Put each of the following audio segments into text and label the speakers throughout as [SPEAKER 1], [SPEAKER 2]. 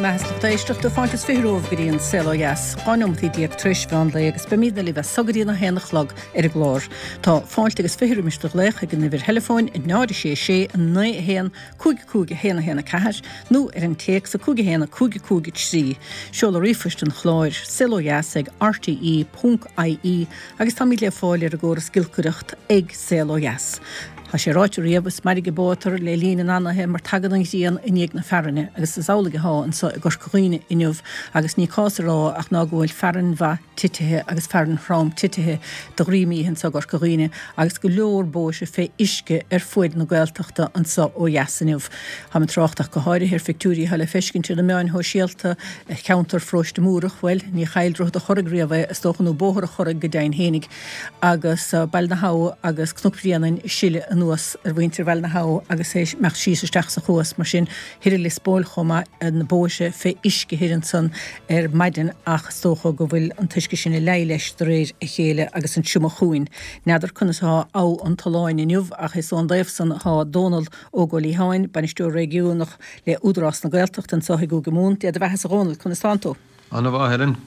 [SPEAKER 1] mbeatha is lucht éisteachta, fáilte is 20 romhaibh go dtí an Saol Ó Dheas, 12 neomataí tar éis mheán lae agus beimídne libh as so go dtí an 1 a chlog ar an gclár. Tá fáilte agus 20 roimis do ghlaoch ag an uimhir theileafóin 0 6 6 9 1 5 5 1 1 4 nó ar an téacs 5 1 5 5 3. Seoladh ríomhphoist an chláir, saolodheas ag rte ponc ie agus táimid le fáil ar an gcóras giolcaireacht ag Saol Ó Dheas. Tá sé ráite riamh, is mairg an bó atar le linn an anaithe mar tagann an ghrian i ndiaidh na fearthainne agus is amhlaidh athá anso i gCorca Dhuibhne inniu agus ní cás a rá ach ná go bhfuil fearthainn mhaith titithe agus fearthainn throm titithe de dhroim oíche anso i gCorca Dhuibhne agus go leor bóithre fé uisce ar fuaid na Gaeltachta anso ó dheas inniu. Táim ag trácht ach go háirithe ar phictiúirí atá le feiscint ar na meáin shóisialta ar cheantar Pharóiste Múrach, bhuel, ní chaill Droichead a' Churraigh riamh é, is dócha, nó Bóthar a' Churraigh go deimhin fhéinig, agus Baile na hAbha agus Cnoc Bhréanainn ag sileadh anuas ar mhuintir Bhaile na hAbha agus é ag imeacht síos isteach sa chuas, mar sin, thoir i Lios Póil chomh maith, na bóithre fé uisce thoir ansan ar maidin ach is dócha go bhfuil an t-uisce sin ag leí leis de réir a chéile agus an triomach chugainn. N'fheadar conas atá Abha an tSuláin inniu ach is ón dtaobh san atá Dónal Óg Ó Liatháin, Bainisteoir Réigiúnach le Údarás na Gaeltachta anso i gCúige Mumhan. Dé do bheathasa a Dhónaill, conas tánn tú?
[SPEAKER 2] Ana mhaith, Helen.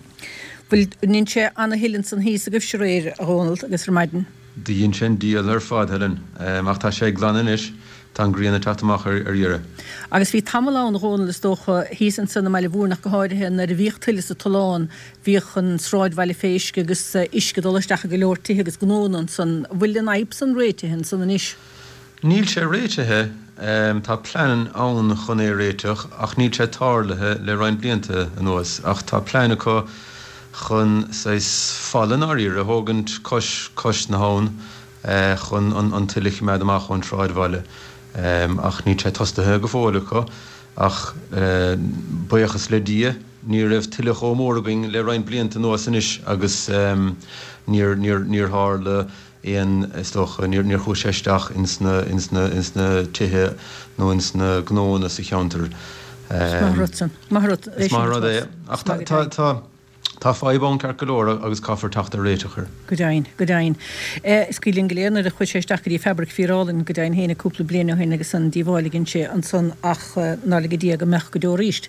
[SPEAKER 1] Bhfuil, ndein sé ana thuile ansan thíos agaibhse aréir, a Dhónaill, agus ar maidin?
[SPEAKER 2] Do dhein sé an diabhal ar fad, Helen. Ach tá sé ag glanadh anois. Tá an ghrian ag teacht amach ar dheireadh.
[SPEAKER 1] Agus bhí tamall ann, a Dhónaill, is dócha, thíos ansan i mBaile Mhúirne ach go háirithe, nuair a bhíodh tuile sa Tulán, bhíodh an sráidbhaile fé uisce agus uisce ag dul isteach i go leor tithe agus gnónna ansan. Bhfuil an fhadhb san réitithe ansan anois?
[SPEAKER 2] Níl sé réitithe, tá plean ann chun é a réiteach ach níl sé tarlaithe le roinnt blianta anuas. Ach tá plean acu chun saghas falla i ndáiríre a thógaint cois cois na habhann chun an tuile a choimeád amach ón sráidbhaile. Ach níl sé tostaithe go fóill acu. Ach buíochas le Dia ní raibh tuile chomh mór againn le roinnt blianta anuas anois agus níor níor níor tharla aon, is dócha, níor, níor chuaigh sé isteach ins na, ins na, ins na tithe nó ins na gnóanna sa cheantar.
[SPEAKER 1] Is maith rud san. Maith rud
[SPEAKER 2] é Is maith rud é. Ach tá, tá, tá, tá fadhb ann ceart go leor agus caithfear teacht ar réiteach air.
[SPEAKER 1] Go deimhin, go deimhin. Is cuimhin linn go léir nuair a chuaigh sé isteach go dtí fabraic Fíor Álainn, go deimhin féin, cúpla bliain ó shin agus an díobháil a dhein sé ansan ach ná lige Dia go mbeadh go deo arís.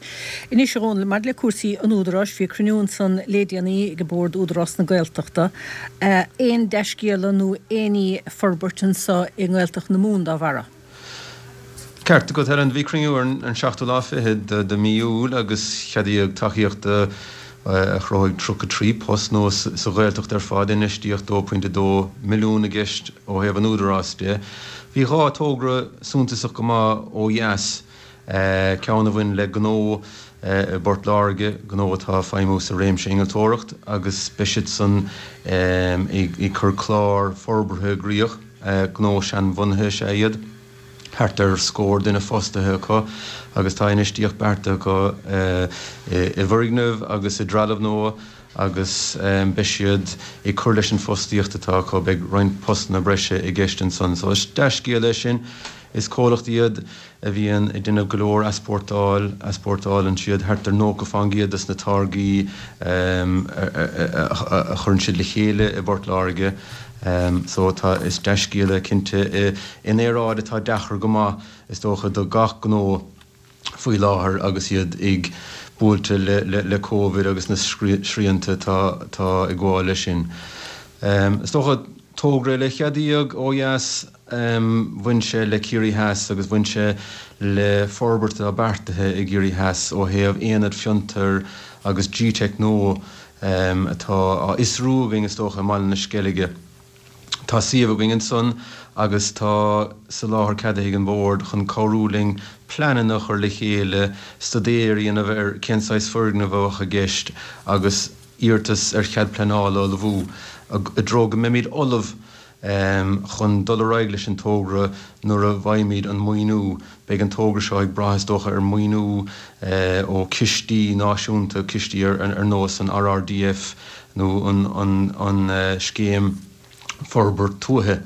[SPEAKER 1] Anois, a Dhónaill, maidir le cúrsaí an Údaráis, bhí cruinniú ansan lé déanaí ag Bord Údarás na Gaeltachta. Aon dea-scéala nó aon ní ag forbairt anso i nGaeltacht na Mumhan dá bharra?
[SPEAKER 2] Ceart agat, Helen. Bhí cruinniú ar an seachtú lá fichead de mhí Iúil agus ceadaíodh tacaíocht a chruthóidh 33 post nua sa Ghaeltacht ar fad, infheistíocht 2.2 milliún i gceist ó thaobh an Údaráis de. Bhí dhá togra suntasach go maith ó dheas. Ceann a bhain le gnó i bPort Láirge, gnó atá ag feidhmiú sa réimse innealtóireacht agus beidh siadsan ag cur clár forbartha i gcrích. Gnó seanbhunaithe is ea iad, thart ar scór duine fostaithe acu agus tá infheistíocht beartaithe acu i bhfoirgneamh agus i dtrealamh nua agus beidh siad ag cur leis an bhfostaíocht atá acu. Beidh roinnt postanna breise i gceist ansan. So is dea-scéal é sin. Is comhlacht iad a bhíonn ag déanamh go leor easpórtáil, easpórtálann siad thart ar 90 fán gcéad des na táirgí a chuireann siad le chéile i bPort Láirge. So tá, is dea-scéal é cinnte in aeráid atá deacair go maith is dócha do gach gnó faoi láthair agus iad ag buailte le Covid agus na srianta atá ag gabháil leis sin. Is dócha togra eile a ceadaíodh ó dheas, bhain sé le Ciarraí Theas agus bhain sé le forbairt atá beartaithe i gCiarraí Theas ó thaobh aonad fiontair agus GTeic nua atá á fhiosrú againn is dócha i mBaile na Sceilge. Tá suíomh againn ansan agus tá soláthar ceadaithe ag an Bhord chun cabhrú linn pleananna a chur le chéile, staidéar a dhéanamh ar cén saghas foirgneamh a bheadh i gceist agus iarratas ar chead pleanála a ullmhú i dtreo go mbeimid ullamh chun dul ar aghaidh leis an togra nuair a bhfaighimid an maoiniú. Beidh an togra seo ag brath is dócha ar mhaoiniú ó chistí náisiúnta, cistí ar nós an RRDF nó an Scéim Forbairt Tuaithe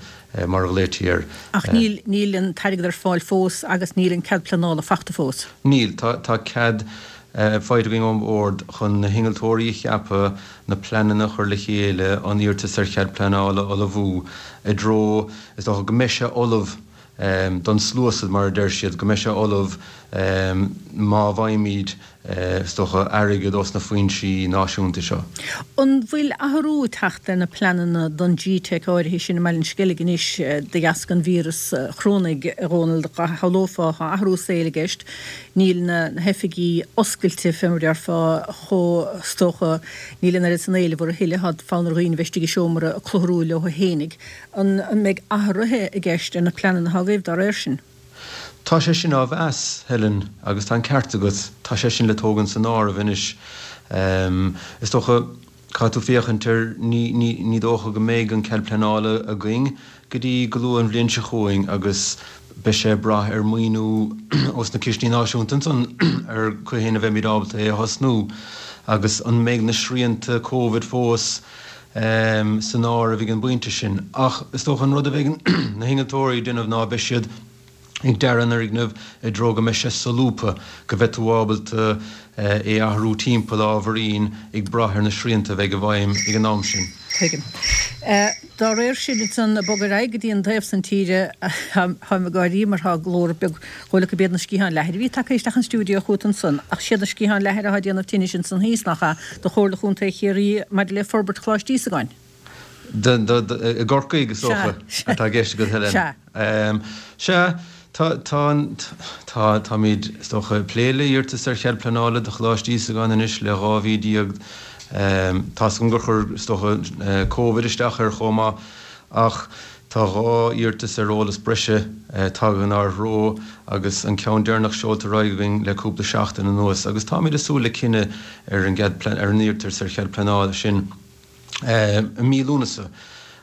[SPEAKER 2] mar a ghlaoití air.
[SPEAKER 1] Ach níl, níl an t-airgead ar fáil fós agus níl an cead pleanála fachta fós.
[SPEAKER 2] Níl. Tá, tá cead faighte againn ón Bhord chun na hinnealtóirí a cheapadh, na pleananna a chur le chéile, an iarratas ar chead pleanála a ullmhú i dtreo, is dócha, go mbeidh sé ullamh don sluasaid, mar a deir siad, go mbeidh sé ullamh má bhfaighimid. Is dócha, airgead ós na foinsí náisiúnta seo.
[SPEAKER 1] An bhfuil athrú ag teacht ar na pleananna don G-Teic áirithe sin i mBaile an Sceilg anois de dheasca an víreas chorónaigh, a Dhónaill? Shamhlófá, tá athrú saoil i gceist, níl na hoifigí oscailte fé mar a déarfá chomh, is dócha, níl an oiread san éileamh orthu a thuilleadh, tá fonn ar dhaoine bheith istigh i seomra ag clutharú leo fhéinig. An mbeidh athruithe i gceist ar na pleananna atá agaibh dá réir sin?
[SPEAKER 2] Tá sé sin á mheas, Helen, agus tá an ceart agat, tá sé sin le tógaint san áireamh anois. Is dócha, caithfidh tú féachaint ar, ní, ní, ní dócha go mbeidh an cead pleanála againn go dtí go luath an bhliain seo chugainn agus beidh sé ag brath ar mhaoiniú ós na cistí náisiúnta ansan ar cathain a bheimid ábalta é a thosnú agus an mbeidh na srianta Covid fós san áireamh ag an bpointe sin. Ach is dócha an rud a bheidh na hinnealtóirí ag déanamh ná beidh siad ag dearadh an fhoirgnimh i dtreo go mbeidh sé solúbtha, go mbeidh tú ábalta é a athrú timpeall ábhairín ag brath ar na srianta a bheidh i bhfeidhm ag an am sin.
[SPEAKER 1] Tuigim. Dá réir sin, ansan, ag bogadh ar aghaidh go dtí an taobh san tíre, táim ag gáirí mar tá glór beag Chuala gurb iad na sciatháin leathair a bhí tagtha isteach an stiúideo chugat ansan, ach siad na sciatháin leathair atá ag déanamh tinnis ansan thíos, nach ea, do Chomhairle Chontae Chiarraí maidir le forbairt Choláiste Íosagáin?
[SPEAKER 2] I gCorcaigh, is dócha, atá i gceist agat, Helen.
[SPEAKER 1] Sea.
[SPEAKER 2] Sea, tá, tá, tá, táimid, is dócha, ag plé le hiarratas ar chead pleanála do Choláiste Íosagáin anois le 12 mhí. Tá's agam gur chuir, is dócha, Covid isteach air chomh maith, ach Tá 2 iarratas ar eolas breise tagtha inár dtreo agus an ceann deireanach seolta ar aghaidh againn le cúpla seachtain anuas agus táimid ag súil le cinneadh ar an gcead ar an iarratas ar chead pleanála sin i mí Lúnasa.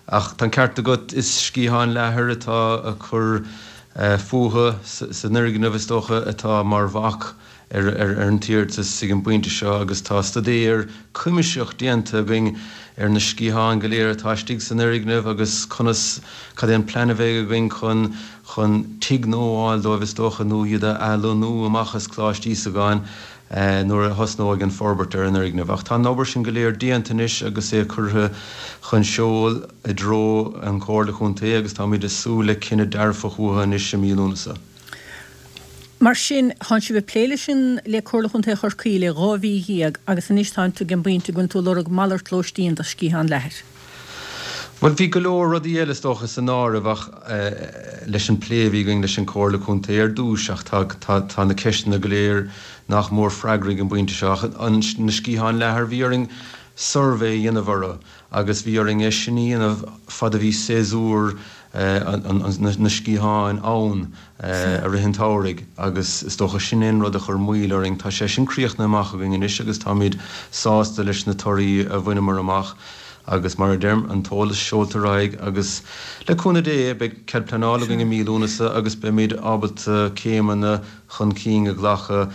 [SPEAKER 2] Ach tá an ceart agat, is sciatháin leathair atá ag cur fúthu san fhoirgneamh is dócha atá mar bhac ar an t-iarratas ag an bpointe seo agus tá staidéar cuimsitheach déanta againn ar na sciatháin go léir atá istigh san fhoirgneamh agus conas, cad é an plean a bheidh againn chun, chun tigh nua a fháil dóibh is dócha nó iad a athlonnú amach as Coláiste Íosagáin nuair a thosnóidh an forbairt ar an fhoirgneamh. Ach tá an obair sin go léir déanta anois agus é curtha chun seoil i dtreo an Chomhairle Chontae agus táimid ag súil le cinneadh dearfach uathu anois i mí Lúnasa.
[SPEAKER 1] Mar sin, tánn sibh ag plé leis an, le Comhairle Chontae Chorcaí le 12 mhí agus anois tánn tú ag an bpointe go bhfuil tú ag lorg malairt lóistín do sciathán leathair.
[SPEAKER 2] Bhuel, bhí go leor rudaí eile is dócha san áireamh ach leis an plé a bhí againn leis an Comhairle Contae ar dtús ach tá, tá, tá na ceisteanna go léir nach mór freagraithe ag an bpointe seo ach an, na sciatháin leathair, bhí orainn suirbhé a dhéanamh orthu agus bhí orainn é sin a dhéanamh fad a bhí séasúr na sciatháin ann i rith an tsamhraidh agus is dócha sin é an rud a chuir moill orainn. Tá sé sin críochnaithe amach againn anois agus táimid sásta leis na torthaí a bhaineamar amach agus mar a deirim, an t-eolas seolta ar aghaidh agus le cúnamh Dé beidh cead pleanála againn i mí Lúnasa agus beimid ábalta céimeanna chun cinn a ghlacadh.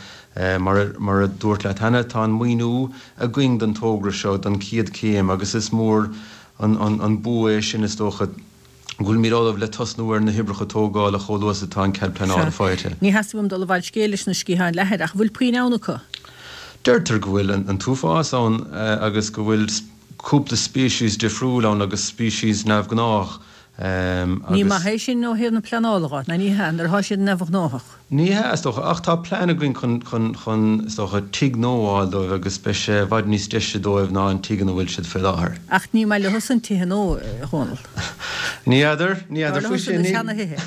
[SPEAKER 2] Mar mar a dúrt leat cheana, tá an maoiniú againn don togra seo, don chéad chéim agus is mór an bua é sin is dócha. go bhfuilimid ullamh le tosnú ar na hoibreacha tógála chomh luath is atá an cead pleanála
[SPEAKER 1] Sea.
[SPEAKER 2] faighte.
[SPEAKER 1] Ní theastaigh uaim dul i bhfad scéil leis na sciatháin leathair, ach an bhfuil puinn ann acu?
[SPEAKER 2] Deirtear go bhfuil an t-uafás ann agus go bhfuil cúpla species difriúil ann agus species neamhghnách
[SPEAKER 1] Ní
[SPEAKER 2] agus.
[SPEAKER 1] maith é sin ó thaobh na pleanála dhe, ná ní hea, nuair atá siad neamhghnáthach.
[SPEAKER 2] Ní hea, is dócha, ach tá plean againn chun, chun, chun, is dócha, tigh nua a fháil dóibh agus beidh sé i bhfad níos deise dóibh ná an tigh ina bhfuil siad faoi láthair.
[SPEAKER 1] Ach ní maith leosan tithe nua, a Dhónaill.
[SPEAKER 2] Ní fheadar, ní
[SPEAKER 1] Dar
[SPEAKER 2] fheadar faoi
[SPEAKER 1] leosan
[SPEAKER 2] sin,
[SPEAKER 1] na
[SPEAKER 2] ní,
[SPEAKER 1] seana-thithe.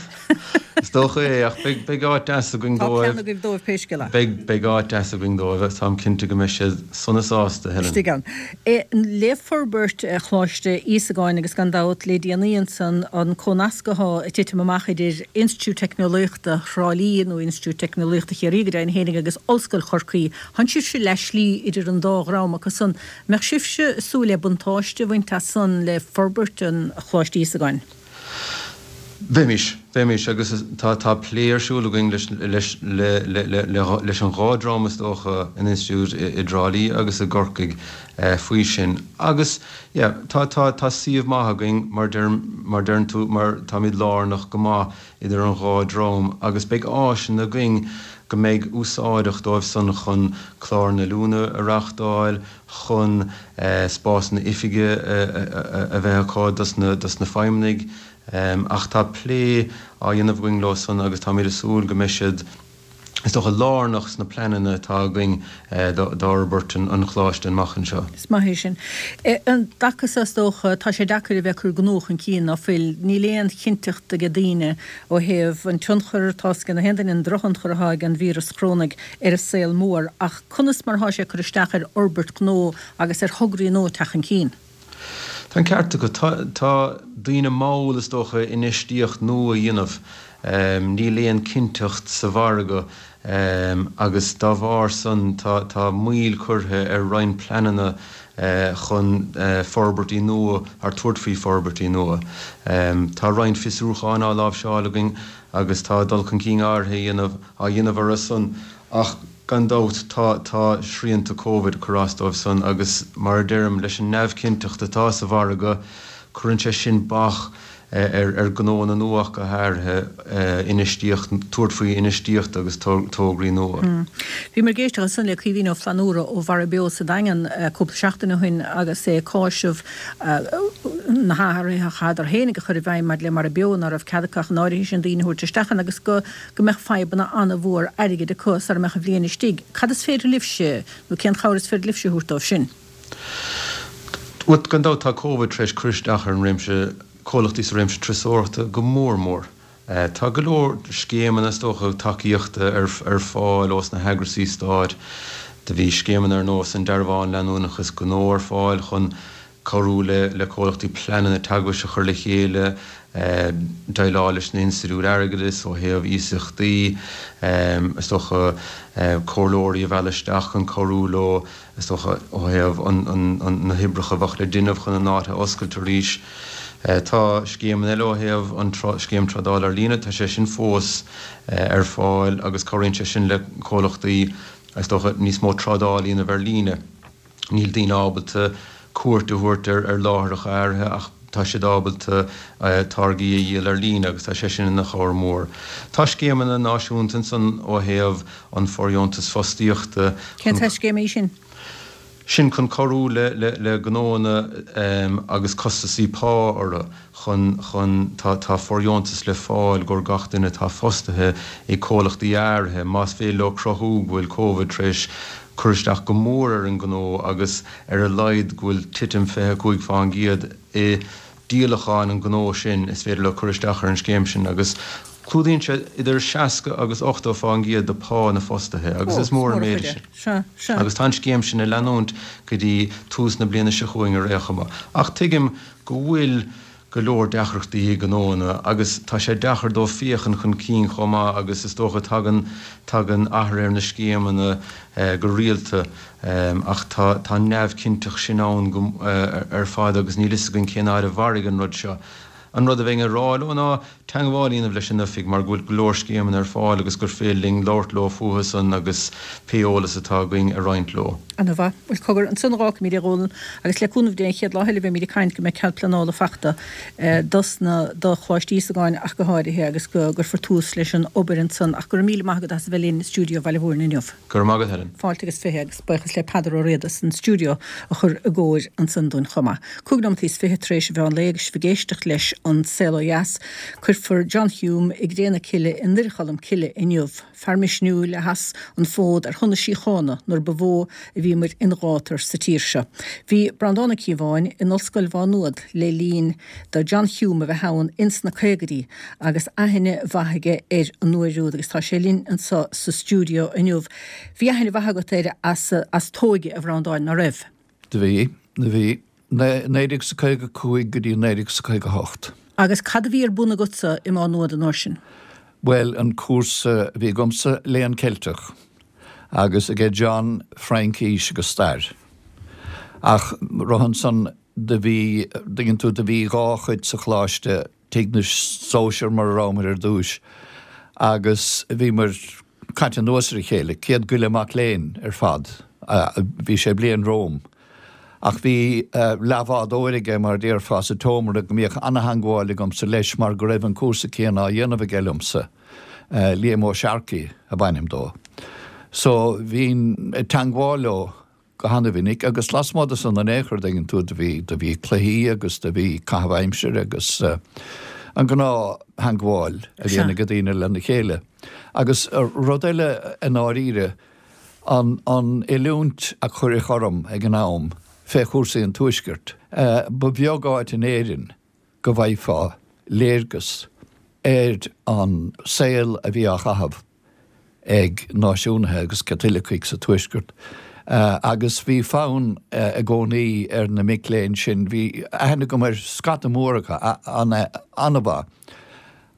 [SPEAKER 2] Is dócha é, ach beidh, beidh áit deas againn
[SPEAKER 1] Tá
[SPEAKER 2] dóibh.
[SPEAKER 1] plean agaibh dóibh pé scéal é.
[SPEAKER 2] Beidh, beidh áit deas againn dóibh agus táim cinnte go mbeidh siad sona sásta, Helen.
[SPEAKER 1] Istigh ann. Le forbairt Choláiste Íosagáin agus gan dabht le déanaí ansan an comhnasc athá ag titim amach idir Institiúid Teicneolaíochta Thrá Lí nó Institiúid Teicneolaíochta Chiarraí go deimhin fhéinig agus Ollscoil Chorcaí, thánn sibhse leath slí idir an dá dhream acu san. Mbeadh sibhse ag súil le buntáiste a bhaint as san le forbairt an Choláiste Íosagáin?
[SPEAKER 2] Bheimis, bheimis, agus tá, tá plé ar siúl againn leis, leis, le, le, le, le, leis an dhá dream is dócha, an Institiúid i, i dTrá Lí agus i gCorcaigh faoi sin. Agus, yeah, tá, tá, tá suíomh maith againn, mar deirim, mar deireann tú, mar táimid lárnach go maith idir an dhá dream agus beidh áiseanna againn go mbeidh úsáideach dóibh san chun cláranna oiliúna a reáchtáil, chun spásanna oifige a bheith acu dos na feidhmeannaigh ach tá plé á dhéanamh againn leo san agus táimid ag súil go mbeidh siad. Is dócha, lárnach sna pleananna atá againn d'fhorbairt an Choláiste amach anseo.
[SPEAKER 1] Is maith é sin. An dtaca so, is dócha, tá sé deacair a bheith ag cur gnó chun cinn, ná fuil? Níl aon chinnteacht ag daoine ó thaobh an tionchar atá ag na haon duine, an drochthionchar atá ag an víreas chorónaigh ar an saol mór, ach conas mar atá sé ag cur isteach ar fhorbairt gnó agus ar thograí nua teacht chun cinn?
[SPEAKER 2] Tá an ceart agat. Tá daoine mall, is dócha, infheistíocht nua a dhéanamh. Níl aon cinnteacht sa mhargadh agus dá bharr san tá moill curtha ar roinnt pleananna chun forbairtí nua, or tabhairt faoi forbairtí nua. Tá roinnt fiosrúcháin á láimhseáil againn agus tá dul chun cinn áirithe á dhéanamh orthu san ach, Gan dabht, tá, tá srianta Covid ag cur as dóibh san agus mar a deirim, leis an neamhchinnteacht atá sa mhargadh, cuireann sé sin bac ar, ar gnóanna nua ach go háirithe, infheistíocht, tabhairt faoi infheistíocht agus tograí nua.
[SPEAKER 1] Bhíomar ag éisteacht ansan le Caoimhín Ó Flannúra ó Mhara Beo sa Daingean cúpla seachtain ó shin agus é ag cáiseamh na hathruithe a chaitheadar féinig a chur i bhfeidhm maidir le Mara Beo, ná raibh cead acu ach an áirithe sin daoine a thabhairt isteach ann agus go go mbeadh fadhbanna an-mhór airgid acu sara mbeadh an bhliain istigh. Cad is féidir libhse, nó cén chabhair is féidir libhse a thabhairt dóibh sin?
[SPEAKER 2] Bhuel, gan dabht tá Covid tar éis cur isteach ar an réimse, comhlachtaí sa réimse turasóireachta go mór mór. Tá go leor scéimeanna, is dócha, tacaíochta ar fáil ós na heagrasaí stáit. Do bhí scéimeanna ar nós an Dearbhán Leanúnachas Gnó ar fáil chun cabhrú le comhlachtaí pleananna teagmhais a chur le chéile, déileáil leis na hinstitiúid airgeadais ó thaobh iasachtaí, is dócha, comhairleoirí a mhealladh isteach chun cabhrú leo, is dócha, ó thaobh na hoibreacha a bheadh le déanamh chun an áit a oscailt arís. Tá scéimeanna eile ó thaobh an scéim trádála ar líne, tá sé sin fós ar fáil agus cabhraíonn sé sin le comhlachtaí, is dócha, níos mó trádáil a dhéanamh ar líne. Níl daoine ábalta cuairt a thabhairt ar láithreacha áirithe ach tá siad ábalta táirgí a dhíol ar líne agus tá sé sin ina chabhair mhór. Tá scéimeanna náisiúnta ansan ó thaobh an fóirdheontas fostaíochta
[SPEAKER 1] Cén saghas scéime í sin?
[SPEAKER 2] Sin chun cabhrú le gnóanna agus costasaí pá orthu. chun, chun, tá, tá fóirdheontas le fáil i gcomhair gach duine atá fostaithe ag comhlachtaí áirithe, más féidir leo cruthú go bhfuil Covid tar éis cur isteach go mór ar an ngnó agus ar a laghad go bhfuil titim 25% i díolacháin an ghnó sin, is féidir leo cur isteach ar an scéim sin agus clúdaíonn sé idir 60 agus 80% de phá na fostaithe agus is mór an méid é sin. Agus tá an scéim sin ag leanúint go dtí tús na bliana seo chugainn ar aon chuma. Ach tuigim go bhfuil go leor deacrachtaí ag gnóanna agus tá sé deacair dóibh féachaint chun cinn chomh maith agus is dócha tagann tagann athruithe ar na scéimeanna go rialta ach tá tá an neamhchinnteacht sin ann go ar fad agus níl fhios againn cén fhad a mhairfidh an rud seo. An rud a bheinn ag rá leo ná teagmháil a dhéanamh leis an oifig mar go bhfuil go leor scéimeanna ar fáil agus gur féidir linn labhairt leo fúthu san agus pé eolas atá againn a roinnt leo.
[SPEAKER 1] Ana mhaith. Bhuel, cogar, ansan a dh'fhágfaimid é, a Dhónaill, agus le cúnamh Dé an chéad lá eile beimid ag caint go mbeidh cead pleanála fachta dos na, do Choláiste Íosagáin ach go háirithe agus go gcuirfear tús leis an obair ansan. Ach go raibh míle maith agat as a bheith linn i stiúideo Bhaile Mhúirne inniu.
[SPEAKER 2] Go raibh maith agat, Helen.
[SPEAKER 1] Fáilte agus 20 agus buíochas le Peadar Ó Riada san stiúideo a chur i gcóir ansan dúinn chomh maith. Cúig nóimeataí is fiche tar éis an mheán lae agus sibh ag éisteacht leis An Saol Ó Dheas. Cuirfear John Hume i gcré na cille i nDoire Cholm Cille inniu. Fear misniúil a sheas an fód ar shon na síochána nuair ba mhó a bhíomair in gátar sa tír seo. Bhí Breandán Ó Cíobháin in Ollscoil Mhá Nuad le linn do John Hume a bheith ann ins na caogaidí agus aithne mhaith aige air an uair úd agus tá sé linn anseo sa stiúideo inniu. Bhí aithne mhaith agat air as as t'óige, a Bhreandáin, ná raibh?
[SPEAKER 3] Do bhí, do bhí. 1955 go dtí 1958.
[SPEAKER 1] Agus cad a bhí ar bun agatsa i Má Nuad an uair sin?
[SPEAKER 3] Bhuel, an cúrsa a bhí agamsa, Léann Ceilteach, agus aige John, Fraincís agus Stair. Ach roimhe ansan do bhí, dtuigeann tú, do bhí dhá chuid sa choláiste, tigh na sóisear mar a rabhamar ar dtúis, agus bhíomar caite anuas ar a chéile, 100 go leith mac léinn ar fad, bhí sé bliain romham. Ach bhí leathbhádóir aige, mar a déarfá, sa tseomra go mbíodh ana-theangmháil agamsa leis mar go raibh an cúrsa céanna á dhéanamh aige liomsa, Liam Ó Searcaigh ab ainm dó. So bhínn ag teangmháil leo go hana-mhinic agus lasmuigh de san in aon chor, dtuigeann tú, do bhí, do bhí cluichí agus do bhí caitheamh aimsire agus. An gnáth-theangmháil a bhíonn ag daoine lena chéile. Agus rud eile i ndáiríre, an oiliúint a cuireadh orm ag an am fé chúrsaí an Tuaiscirt, ba bheag áit in Éirinn go bhfaighfeá léargas ar an saol a bhí á chaitheamh ag náisiúnaithe agus Caitlicigh sa Tuaisceart agus bhí fonn i gcónaí ar na mic léinn sin, bhí aithne agam ar scata mór acu, an-mhaith,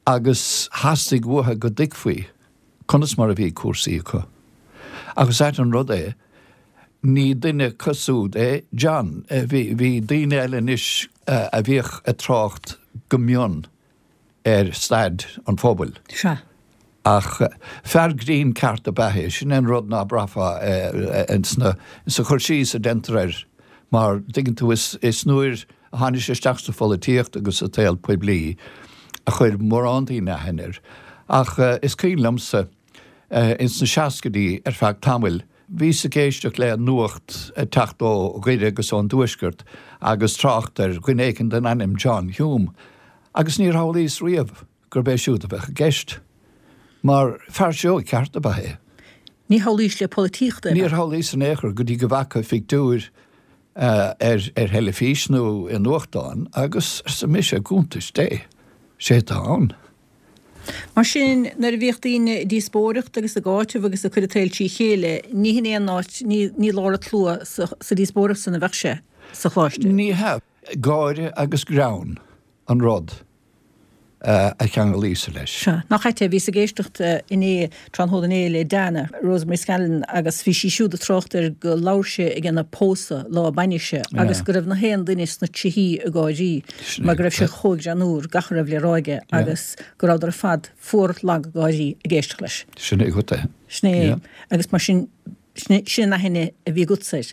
[SPEAKER 3] agus theastaigh uathu go dtuigfí conas mar a bhí cúrsaí acu. Ach is ait an rud é, ní duine acu siúd é John. Bhí daoine eile anois a bhíodh ag trácht go mion ar staid an phobail.
[SPEAKER 1] Sea.
[SPEAKER 3] Ach fear grinn ceart ab ea é. Sin é an rud ná braithfeá sa chur síos a deintear air mar, tuigeann tú, is nuair a tháinig sé isteach sa pholaitíocht agus sa tsaol poiblí a chuir mórán daoine aithne air. Ach is cuimhin liomsa ins na seascaidí ar feadh tamaill, bhíos ag éisteacht le nuacht ag teacht ó Dhoire agus ón dTuaisceart agus trácht ar dhuine éigin den ainm John Hume agus níor shamhlaíos riamh gurb é siúd a bheadh i gceist, mar fear seoigh ceart ab ea é.
[SPEAKER 1] Ní shamhlaís le polaitíocht é.
[SPEAKER 3] Níor shamhlaíos in aon chor go dtí go bhfaca phictiúir ar ar theilifís nó i nuachtán agus arsa mise, i gcuntais Dé, sé atá ann.
[SPEAKER 1] Mar sin, nuair a bhíodh daoine ag díospóireacht agus ag áiteamh agus ag cur an tsaoil trí chéile, ní hin é an áit, ní ní lár an tslua sa sa díospóireacht san a bheadh sé sa choláiste.
[SPEAKER 3] Ní hea. Gáire agus greann an rud. a cheanglaíos leis.
[SPEAKER 1] Sea. Nach ait é, bhíos ag éisteacht inné, tráthnóna inné, le Dana, Rosemary Scallon, agus bhí sí siúd ag trácht air go labhair sé ag an pósadh lá a bainise agus go raibh na haon duine sna tríthí ag gáirí mar go raibh sé chomh greannúr, gach a raibh le rá aige agus go rabhadar ar fad fuar lag ag gáirí ag éisteacht leis.
[SPEAKER 3] Sin é agat
[SPEAKER 1] é. Sin é. Agus mar sin, sin an aithne a bhí agatsa air.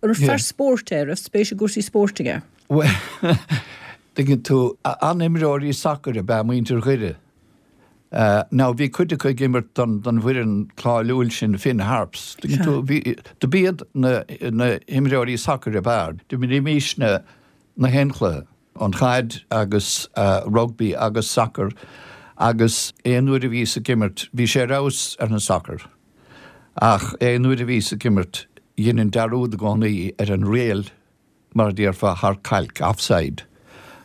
[SPEAKER 1] An raibh fear spóirt é, raibh spéis i gcúrsaí spóirt aige?
[SPEAKER 3] Bhuel, tuigeann tú, an-imreoirí sacair ab ea muintir Dhoire. Now, bhí cuid acu ag imirt don bhfoireann cáiliúil sin, Finn Harps. Tuigeann tú, bhí, do b'iad na himreoirí sacair ab fhearr. D'imrímísne na haon chluiche, an chaid agus rugbaí agus sacar agus aon uair a bhíos ag imirt, bhí sé ar fheabhas ar an sacar. Ach aon uair a bhíos ag imirt, dheininn dearúd i gcónaí ar an riail mar a déarfá, thar cailc, offside,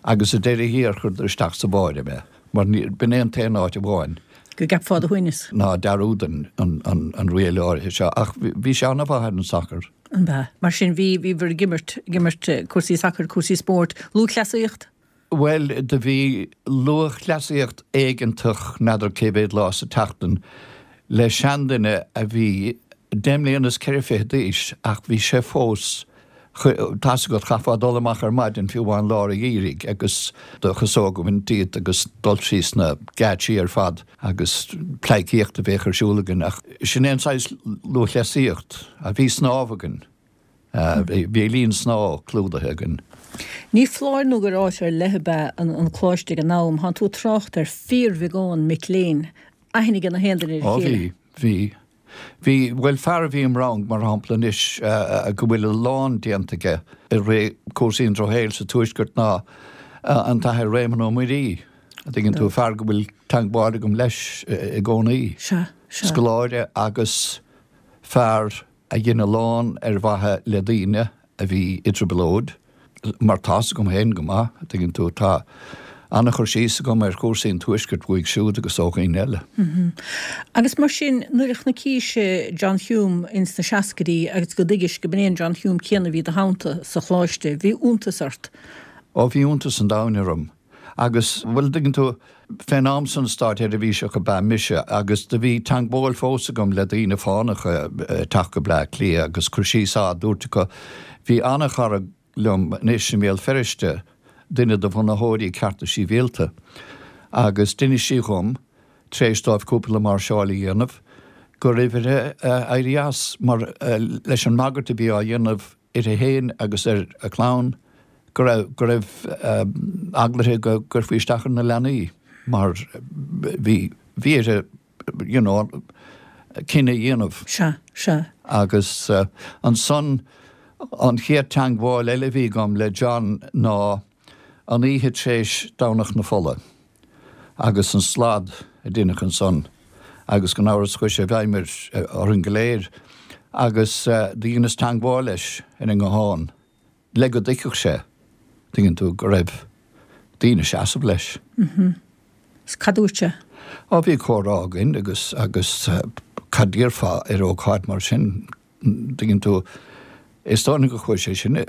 [SPEAKER 3] agus sa deireadh thiar chuireadar isteach sa bháire mé, mar b'in é an t-aon áit amháin.
[SPEAKER 1] go gceapfá do shuaimhneas.
[SPEAKER 3] ná dearúdainn an riail áirithe seo, ach bhí sé an-mhaith ar an sacar.
[SPEAKER 1] An b'ea? Mar sin, bhí, bhíobhair ag imirt, ag imirt cúrsaí sacair, cúrsaí spóirt, lúthchleasaíocht?
[SPEAKER 3] Bhuel, do bhí lúthchleasaíocht éigeantach n'fheadar cé mhéad lá sa tseachtain le seanduine a bhí deich mbliana is 24 d'aois ach bhí sé fós, tá's agat, chaithfeá dul amach ar maidin fiú amháin lár an gheimhridh agus do chasóg a bhaint díot agus dul síos na geáitsí ar fad agus pleidhcíocht a bheadh ar siúl againn ach sin é an saghas lúthchleasaíocht a bhí snámh againn. Bhí linn snámha clúdaithe againn.
[SPEAKER 1] Ní foláir nó gur áit ar leith ab ea an coláiste ag an am. Thánn tú ag trácht ar fíorbheagán mic léinn. Aithne ag na haon duine ar a
[SPEAKER 3] chéile. Ó bhí, bhí. Bhí, bhuel fear a bhí im rang mar shampla anois go bhfuil a lán déanta aige i rith cúrsaí an drochshaoil sa Tuaisceart ná an tAthair Réamonn Ó Muirí, a dtuigeann tú, fear go bhfuil teagmháil agam leis i gcónaí.
[SPEAKER 1] Sea, sea.
[SPEAKER 3] Scoláire agus fear a dhein a lán ar mhaithe le daoine a bhí i dtrioblóid, mar tá's agam féin go maith, a dtuigeann tú, tá an-chur síos agam ar chúrsaí an Tuaiscirt uaidh siúd agus ó dhaoine eile.
[SPEAKER 1] Agus mar sin, nuair a chonaicis John Hume ins na seascaidí agus go dtuigis go b'in é an John Hume céanna a bhí i do theannta sa choláiste, bhí iontas ort?
[SPEAKER 3] Ó, bhí iontas an domhain orm. Agus, bhuel, dtuigeann tú, fén am san státsheirbhíseach ab ea mise agus do bhí teangmháil fós agam le daoine fánacha ag teacht go Bleá Cliath agus cur síos á dtabhairt acu. Bhí an-chara liom anois i mBéal Feirste, duine de bhunaitheoirí Cearta Sibhialta, agus d'inis sí dhom, tar éis dóibh cúpla máirseáil a dhéanamh, go raibh uirthi éirí as mar leis an mbagairt a bhí á dhéanamh uirthi féin agus ar a clann go raibh, go raibh eagla uirthi go gcuirfí isteach ar na leanaí mar bhí, bhí uirthi you know cinneadh a dhéanamh.
[SPEAKER 1] Sea, sea.
[SPEAKER 3] Agus ansan an chéad teangmháil eile a bhí agam le John ná an oíche tar éis Domhnach na Fola. agus an slad a deineadh ansan agus gan amhras chuaigh sé i bhfeidhm ar orainn go léir agus do dheineas teangmháil leis ar an nguthán le go dtuigfeadh sé, tuigeann tú, go raibh daoine ag seasamh leis.
[SPEAKER 1] Is cad dúirt sé?
[SPEAKER 3] Á bhí comhrá againn agus agus cad déarfá ar ócáid mar sin, dtuigeann tú, is dóigh liom gur chuaigh sé sin i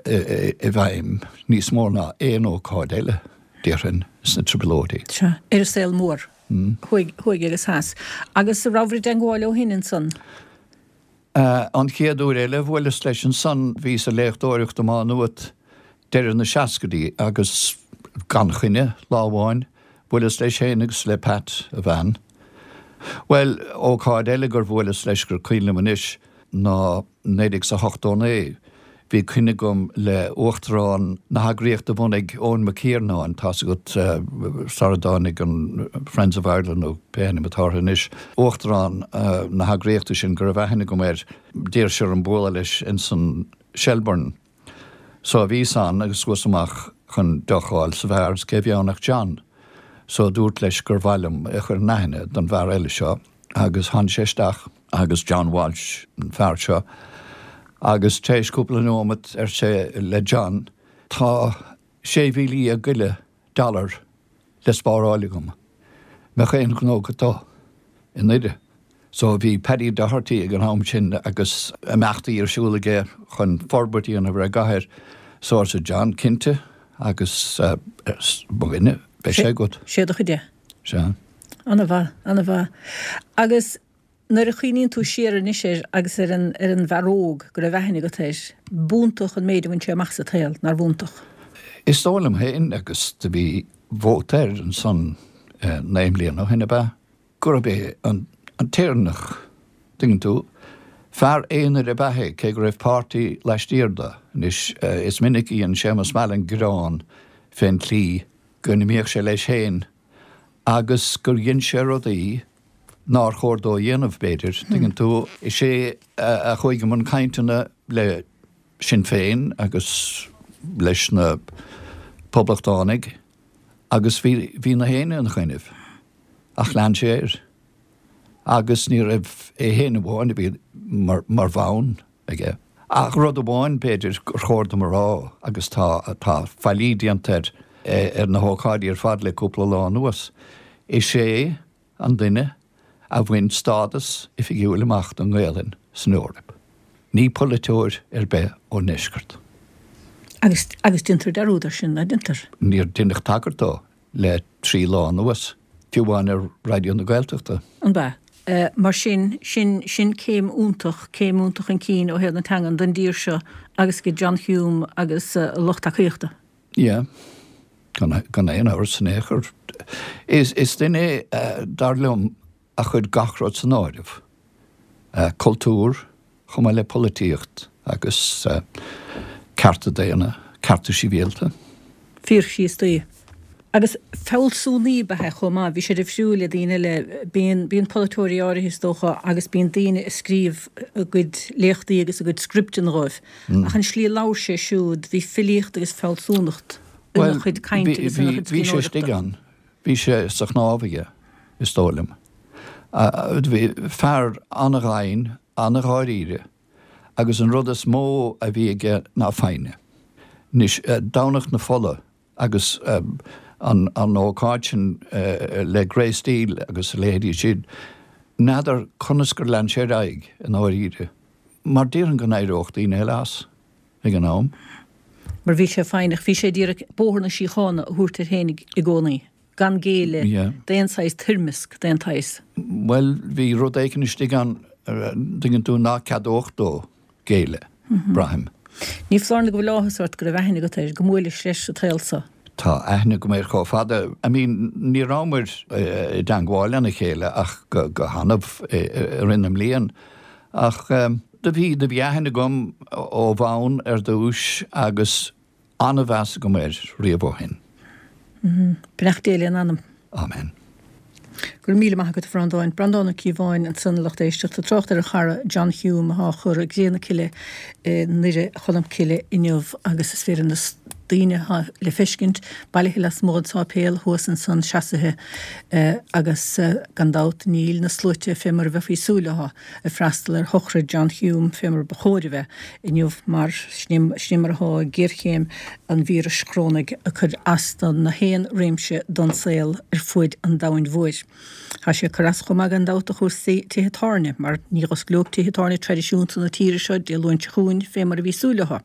[SPEAKER 3] bhfeidhm níos mó ná aon ócáid eile, déarfainn, sna Trioblóidí.
[SPEAKER 1] Sea, ar an saol mór, thuaidh agus theas. Agus an rabhabhair i dteangmháil ó shin ansan?
[SPEAKER 3] An chéad uair eile a bhuaileas leis ansan, bhíos ag léachtóireacht i Má Nuat deireadh na seascaidí agus gan choinne, lá amháin, bhuaileas leis féin agus le Pat, a bhean. Bhuel, ócáid eile gur bhuaileas leis gur cuimhin liom anois ná 1989. Bhí coinne agam le Uachtarán na heagraíochta a bhunaigh Eoin Mac Iarnáin, tá's agat, sara dtáinig an Friends of Ireland nó pé ainm atá orthu anois, Uachtarán na heagraíochta sin go raibh aithne agam air, d'iarr sé orm bualadh leis insan Shelbourne. So bhíos ann agus chuas amach chun deoch a fháil sa bheár is cé a bhí ann ach John. So dúrt leis gur mhaith liom é a chur in aithne don bhfear eile seo agus tháinig sé isteach agus John Walsh an fear seo agus tar éis cúpla nóimeat ar sé le John tá 16,000 go leith dollar le spáráil agam. Mbeadh aon ghnó agat dó i nDoire. So bhí Paddy Doherty ag an am sin agus imeachtaí ar siúl aige chun forbairt a dhéanamh ar an gcathair. So arsa John, cinnte agus mo dhuine, beidh sé agat.
[SPEAKER 1] Sé do chuid é.
[SPEAKER 3] Sea.
[SPEAKER 1] Ana-mhaith, ana-mhaith. Agus Nuair a chuimhníonn tú siar anois air agus ar an ar an bhfear óg go raibh aithne agat air, b'iontach an méid a bhain sé amach sa tsaol, nár bh'iontach?
[SPEAKER 3] Is dóigh liom féin, agus do bhí vóta air ansan 9 mbliana ó shin, ab ea? gurb é an an tÉireannach, tuigeann tú. Fear aonair ab ea é, cé go raibh páirtí laistiar de. Anois, is minic a dhein Séamus Mallon gearán fén tslí go n-imíodh sé leis féin agus gur dhein sé rudaí nár chóir dó a dhéanamh, b'fhéidir, tuigeann tú. Is é a chuaigh i mbun cainteanna le Sinn Féin agus leis na Poblachtánaigh agus bhí, bhí na héinne ina choinnibh ach lean sé air agus ní raibh é féin amháin a bhí mar, mar bhonn aige. Ach rud amháin, b'fhéidir, gur chóir dom a rá agus tá, tá faillí déanta air ar na hócáidí ar fad le cúpla lá anuas, is é an duine a bhain stádas oifigiúil amach don nGaelainn san Eoraip. Ní polaiteoir ar bith ón ndeisceart.
[SPEAKER 1] Agus, agus déantar dearúd air sin, ná déantar?
[SPEAKER 3] Níor deineadh tagairt dó le 3 lá anuas, fiú amháin ar Raidió na Gaeltachta.
[SPEAKER 1] An b'ea? Mar sin, sin, sin céim iontach, céim iontach chun cinn ó thaobh na teangan don dtír seo agus do John Hume agus a lucht tacaíochta.
[SPEAKER 3] Yeah. Gan, gan aon amhras in aon chor. Is, is duine é, dar liom, a chuir gach rud san áireamh. Cultúr, chomh maith le polaitíocht agus cearta daonna, cearta sibhialta.
[SPEAKER 1] Fear Críostaí. Agus fealsúnaí ab ea é chomh maith. Bhí sé difriúil le daoine eile. Bíonn, bíonn polaiteoirí áirithe, is dócha, agus bíonn daoine ag scríobh a gcuid léachtaí agus a gcuid scripteanna dhóibh. Ach an slí a labhair sé siúd, bhí filíocht agus fealsúnacht ina chuid cainte agus ina chuid
[SPEAKER 3] scríbhneoireachta. Bhí sé istigh ann. Bhí sé sa chnámh aige, is dóigh liom. Bhí fear an-ghoin, an-dháiríre agus an rud is mó a bhí aige ná foighne. Anois, Domhnach na Fola agus an ócáid sin le Grace Steele agus a leithéidí sin, n'fheadar conas gur lean sé ar aghaidh i ndáiríre, mar déarfainn go n-éireodh daoine eile as ag an am.
[SPEAKER 1] Mar bhí sé foighneach, bhí sé ag iarraidh bóthar na síochána a thabhairt air féin i gcónaí. gan géilleadh d'aon saghas toirmeasc d'aon tsaghas.
[SPEAKER 3] Bhuel, bhí rud éicint istigh ann, tuigeann tú, ná ceadódh dó géilleadh, braithim.
[SPEAKER 1] Ní foláir nó go bhfuil áthas ort go raibh aithne agat air, go mbuailis leis sa tsaol so.
[SPEAKER 3] Tá aithne agam air chomh fada, I mean, ní rabhamar i dteangmháil lena chéile ach go hannamh i rith na mblian, ach do bhí, do bhí aithne agam ó bhonn ar dtúis agus An-mheas agam air riamh ó shin.
[SPEAKER 1] Beannacht Dé lena anam.
[SPEAKER 3] Amen.
[SPEAKER 1] Go raibh míle maith agat a Bhreandáin. Breandán Ó Cíobháin ansan a lucht éisteachta ag trácht ar a chara John Hume atá á chur i gcré na cille i nDoire Cholm Cille inniu agus is féidir na. daoine atá le feiscint bailithe lasmuigh den sáipéal thuas ansan seasaithe agus gan dabht níl na sluaite fé mar a bheifí ag súil leo ag freastal ar shochraid John Hume fé mar ba chóir a bheith inniu mar sin é mar atá géarchéim an víris chorónaigh ag cur as do na haon réimse don saol ar fuaid an domhain mhóir. Tá sé ag cur as chomh maith gan dabht do chúrsaí tithe tábhairne mar ní dh'osclóidh tithe tábhairne traidisiúnta na tíre seo Dé Luain seo chugainn fé mar a bhí súil leo.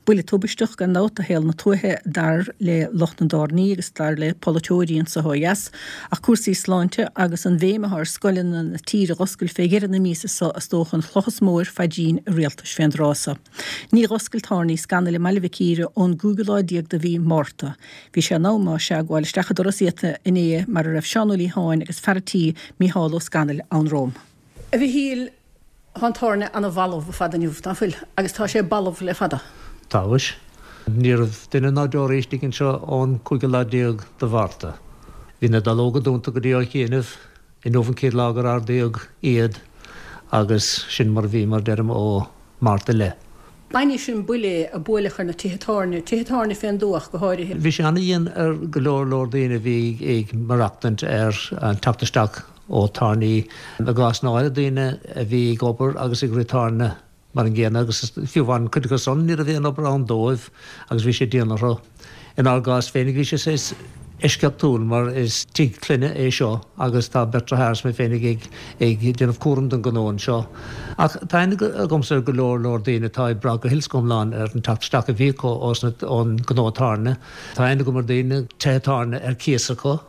[SPEAKER 1] Buille tubaisteach gan dabht do shaol na tuaithe dar le lucht na dtábhairní agus dar le polaiteoirí anso ó dheas ach cúrsaí sláinte agus an bhéim atá ar scoileanna na tíre dh'oscailt fé dheireadh na míosa seo is dócha an chloch is mó ar phaidrín an rialtais fén dtráth seo. Ní dh'oscail tábhairní Scanaill i mBaile Mhic Íre ón gcúigiú lá déag de mhí Márta. Bhí sé in am, más ea, gabháil isteach an doras iata inné mar a raibh Seán Ó Liatháin agus fear a tí, Mícheál Ó Scanaill, ann romham. A Mhichíl, tá an tábhairne ana-bhalbh ar fad inniu, ná fuil? Agus tá sé balbh le fada.
[SPEAKER 4] Tá mhuis. Ní raibh duine ná deoraí istigh anseo ón cúigiú lá déag de Mhárta. Bhí na dallóga dúnta go dtí ó chianaibh. Inniu an chéad lá gur ardaíodh iad agus sin mar a bhí, mar deirim, ó Mhárta i leith.
[SPEAKER 1] An é sin buille é a buaileadh ar na tithe tábhairne, tithe tábhairne fén dtuath ach go háirithe?
[SPEAKER 4] Bhí sé ana-dhian ar go leor leor daoine a bhí ag maireachtaint ar an teacht isteach ó tábhairní. I gcásanna áirithe daoine a bhí ag obair agus ag rith tábhairne mar an gcéanna agus fiú amháin cuid acu san ní raibh aon obair ann dóibh agus bhí sé dian orthu. Inár gcás féinig bhí sé saghas eisceachtúil mar is tigh clainne é seo agus tá beirt deartháir is mé féinig ag ag déanamh cúram den ghnó anseo. Ach tá aithne agamsa ar go leor leor daoine atá ag brath go huile is go hiomlán ar an teacht isteach a bhí acu ón ngnó tábhairne. Tá aithne agam ar daoine tithe tábhairne ar cíos acu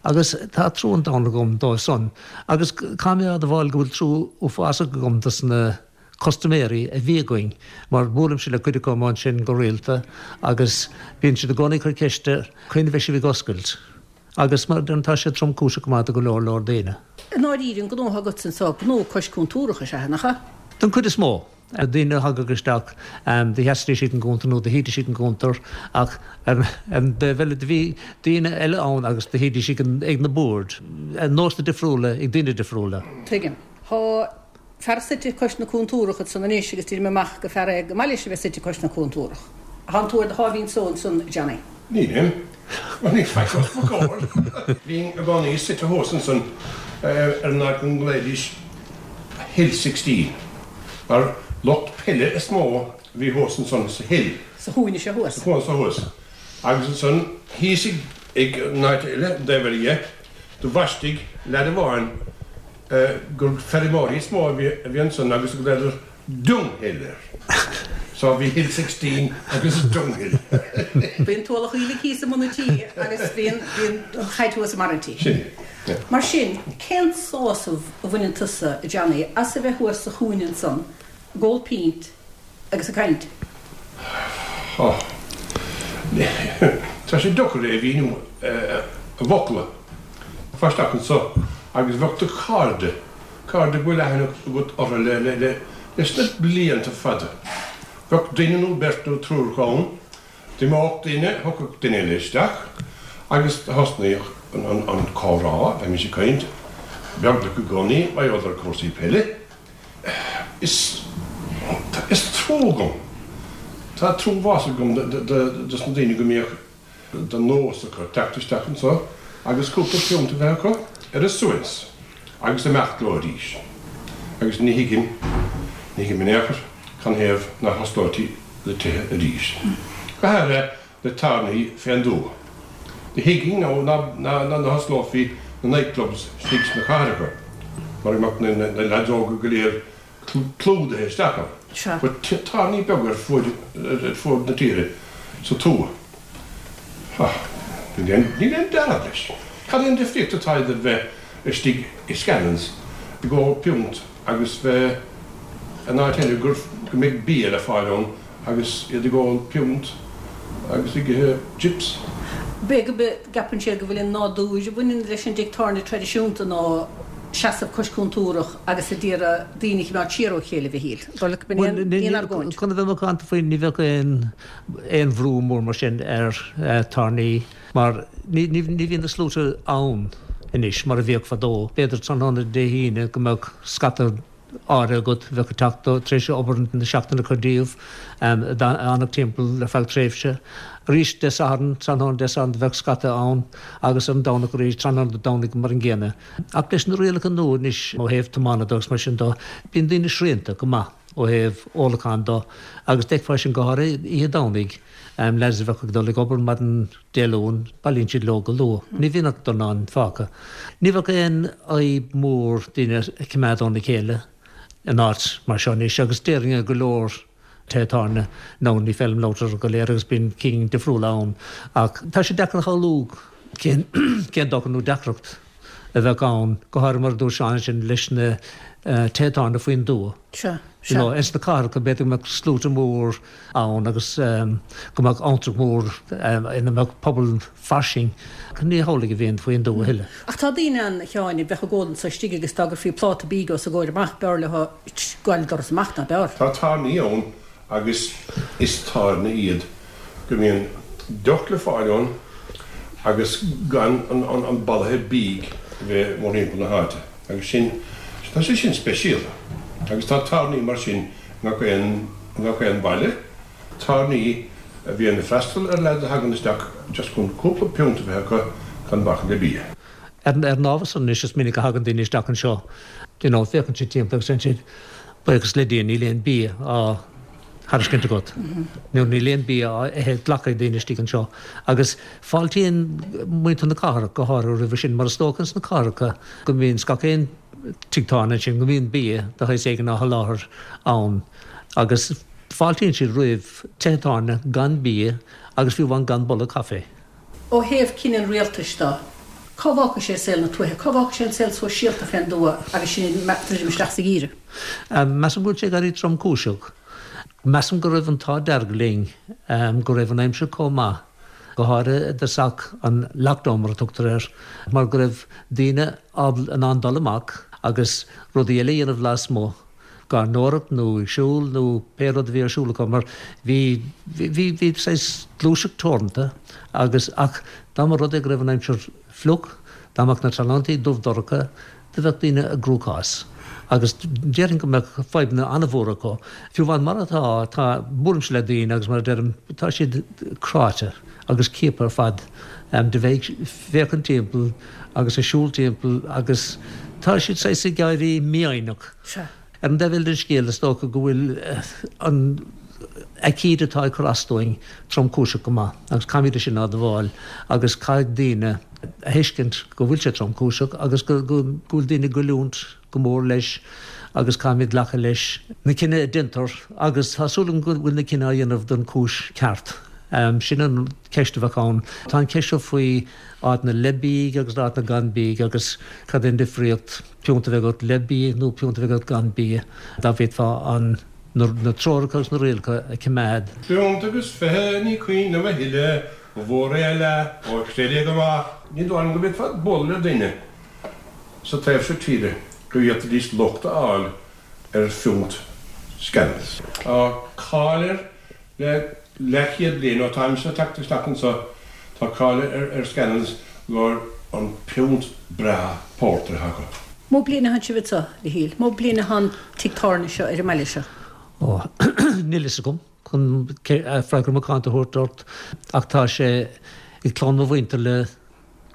[SPEAKER 4] agus tá trua an domhain agam dóibh san. Agus caithfidh mé a admháil go bhfuil trua uafásach agam dos na custaiméirí a bhí againn, mar buailimse le cuid acu amuigh ansin go rialta agus bíonn siad i gcónaí ag cur ceiste, cathain a bheidh sibh ag oscailt? Agus mar a deirim, tá sé tromchúiseach go maith do go leor leor daoine.
[SPEAKER 1] I ndáiríre, an gnó atá agatsa anseo, gnó cois cúntúrach is ea, nach ea?
[SPEAKER 4] Don chuid is mó. Daoine a thagadh isteach, do sheasaidís ag an gcuntar nó do shuídís ag an gcuntar ach ar an dtaobh eile do bhí daoine eile ann agus do shuídís ag na boird. Nósanna difriúla ag daoine difriúla.
[SPEAKER 1] Tuigim. Tá Fear suite cois na cúntúrach ansan anois agus deirim amach gur fear é go maith leis a bheith suite cois na cúntúrach. Thánn tú ar do sháimhín só ansan, a Johnny.
[SPEAKER 5] Nílim. Bhuel, níl faic os mo chomhair. Bhínn i gcónaí suite thuas ansan ar an áit go nglaoidís Hill Sixteen, mar lucht peile is mó a bhí thuas ansan sa Hill.
[SPEAKER 1] Sa chúinne seo thuas.
[SPEAKER 5] Sa chúinne seo thuas. Agus ansan thíos ag an áit eile, an taobh eile dhe, do bhaistigh leaid amháin gur feirmeoirí is mó a bhí ansan agus ghlaodar Dunghill air. So bhí Hill 16 agus Dunghill.
[SPEAKER 1] Bhí an t-ualach aoiligh thíos i mbun an tí agus bhí an chaid thuas i mbarr an tí.
[SPEAKER 5] Sin é,
[SPEAKER 1] yeah. Mar sin, cén sásamh a bhaineann tusa, a Johnny, as a bheith thuas sa chúinne ansan ag ól pínt agus ag caint?
[SPEAKER 5] Tá. Tá sé deacair é a mhíniú i bhfocla. Gabhfá isteach anso agus bheadh do chairde, cairde go bhfuil aithne agat orthu le, le, le, leis na blianta fada. Bheadh duine nó beirt nó triúr acu ann. D'imeodh duine, thiocfadh duine eile isteach agus thosnaíodh an, an, an comhrá, bheimis ag caint, beagnach i gcónaí, mar gheall ar chúrsaí peile. Is, is trua agam, tá trua uafásach agam dos na daoine go mbíodh de nós acu teacht isteach anso agus cúpla piúnt a bheith acu ar a suaimhneas agus imeacht leo arís. Agus ní thuigim, ní thuigim in aon chor canathaobh nach osclóití na tithe arís. Go háirithe na tábhairní fén dtuath. Ní thuigim ná nach osclófaí na nightclubs istigh sna cathracha mar go mbeadh na leaids óga go léir clúdaithe isteach ann.
[SPEAKER 1] Sea.
[SPEAKER 5] But tábhairní beaga ar fuaid ar fuaid na tíre sa tuath. Ha. Níl aon níl aon dealramh leis. Cad é an difríocht atá idir bheith istigh i Scannons ag ól piúnt agus bheith in áit eile gur go mbeidh bia le fáil ann agus iad ag ól piúnt agus ag ithe chips.
[SPEAKER 1] B'fhéidir go gceapann siad go bhfuil an nádúr a bhaineann leis an dtigh tábhairne traidisiúnta ná seasamh cois cúntúrach agus a d'iarraidh daoine a choimeád siar ó chéile, a Mhichíl. Dóigh leat go
[SPEAKER 4] mb'in aon argóint? Chun a bheith macánta faoi, ní bheadh aon aon bhrú mór mar sin ar tábhairní mar ní ní bhíonn na sluaite ann anois mar a bhíodh fadó. B'fhéidir tráthnóna Dé hAoine go mbeadh scata. áirithe agat a bheadh ag teacht tar éis obair na seachtaine a chur díobh, a d'fhanfadh timpeall ar feadh tréimhse. Arís Dé Sathairn, tráthnóna Dé Sathairn do bheadh scata ann agus an Domhnach arís, tráthnóna Dé Domhnaigh mar an gcéanna. Ach leis na rialacha nua anois ó thaobh tiomána de agus mar sin de, bíonn daoine srianta go maith ó thaobh ólacháin de agus d'fheicfeá sin go háirithe oíche Domhnaigh, leaids a bheadh ag dul ag obair maidin Dé Luain, bailíonn siad leo go luath. Ní bhíonn ach dornán fágtha. Ní bheadh aon fhadhb mhór daoine a choimeád óna chéile in áit mar seo anois agus déarfainn i go leor tithe tábhairne, nó ní féidir liom labhairt orthu go léir agus bíonn cinn difriúla ann ach tá sé deacair a shamhlú cén cén dochar nó deacracht a bheadh ann, go háirithe mar a dúirt Seán ansin leis na tithe tábhairne faoin dtuath.
[SPEAKER 1] Sea, sea. You know,
[SPEAKER 4] ins na cathracha b'fhéidir go mbeadh sluaite mór ann agus go mbeadh abhantrach mór ina mbeadh pobal fairsing. Ní hamhlaidh a bhíonn faoin dtuath a thuilleadh.
[SPEAKER 1] Ach tá daoine ann, a Sheáin, a bheadh ag ól anso istigh agus dá gcuirfí pláta bídh os a gcomhair amach, b'fhearr leo gabháil an doras amach ná b'fhearr.
[SPEAKER 5] Tá tábhairní ann agus is tábhairní iad go mbíonn deoch le fáil ann agus gan an bolaithe bídh a bheith mórthimpeall na háite agus sin, tá sé sin speisialta agus tá tábhairní mar sin i ngach aon, i ngach aon bhaile, tábhairní a bhíonn ag freastal ar leaids a thagann isteach just chun cúpla piúnt a bheith acu gan bac le bia.
[SPEAKER 4] Ar an ábhar san anois is minic a thagann daoine isteach anseo, you know, féachann siad timpeall agus deireann siad, buíochas le Dia níl aon bia á thairiscint agat nó níl aon bia á ithe glacadh ag daoine istigh anseo. Agus fáiltíonn muintir na cathrach go háirithe roimhe sin mar is dócha ins na cathracha go mbíonn gach aon tigh tábhairne ansin go mbíonn bia de shaghas éigin á sholáthar ann agus fáiltíonn siad roimh tithe tábhairne gan bia agus fiú amháin gan boladh caife.
[SPEAKER 1] Ó thaobh cinneadh an rialtais de, cá bhfágfaidh sé saol na tuaithe? Cá bhfágfaidh sé an saol sóisialta fén dtuath agus sinn ag druidim isteach sa gheimhreadh?
[SPEAKER 4] Measaim go bhfuil sé ag éirí tromchúiseach. Measaim go raibh an t-ádh dearg linn go raibh an aimsir chomh maith, go háirithe i dtosach an lockdown mar a tugtar air, mar go raibh daoine in ann dul amach agus rudaí eile a dhéanamh lasmuigh. gairneoireacht nó ag siúl nó pé rud a bhí ar siúl acu mar bhí, bhí, bhí saghas gluaiseacht teoranta agus, ach dá mba rud é go raibh an aimsir fliuch, dá mbeadh na tráthnóntaí dubh dorcha, do bheadh daoine i gcruachás agus déarfainn go mbeadh fadhbanna an-mhóra acu. Fiú amháin mar atá, tá, buailimse le daoine agus mar a deirim, tá siad cráite agus ciaptha ar fad de bheith ag féachaint timpeall agus ag siúl timpeall agus tá siad saghas ag éirí mífhoighneach.
[SPEAKER 1] Sea.
[SPEAKER 4] Ar an dtaobh eile den scéal, is dócha go bhfuil an aicíd atá ag cur as dúinn tromchúiseach go maith agus caithfimid é sin a admháil agus caithfidh daoine a thuiscint go bhfuil sé tromchúiseach agus go bhfuil daoine ag goilliúint go mór leis agus caithfimid glacadh leis na cinnidh a déantar agus tá súil agam go bhfuil na cinnidh á dhéanamh don chúis ceart. Sin an ceist a bheadh ann. Tá an ceist seo faoi áiteanna le bídh agus áiteanna gan bídh agus cad é an difríocht piúnt a bheith agat le bia nó piúnt a bheith agat gan bia, dá bhféadfá an na treoracha agus na rialacha a choimeád.
[SPEAKER 5] Piúnt agus 20, ní cuimhin liom a thuilleadh, ba mhór é a leath, ó chreid é go maith. Ní dóigh liom go bhféadfá bualadh le duine sa taobh seo tíre go bhféadfaidís locht a fháil ar phiúnt Scannell's. Tá cáil air Le leathchéad bliain ó táimse ag teacht isteach anso tá cáil ar Scannell's gur an piúnt breá pórtair atá acu.
[SPEAKER 1] Mó bliain atá sibh anso, a Mhichíl? Mó bliain atá an tigh tábhairne seo ar an mbaile seo?
[SPEAKER 4] Ó, níl fhios agam chun freagra macánta a thabhairt ort ach tá sé ag clann mo mhuintir le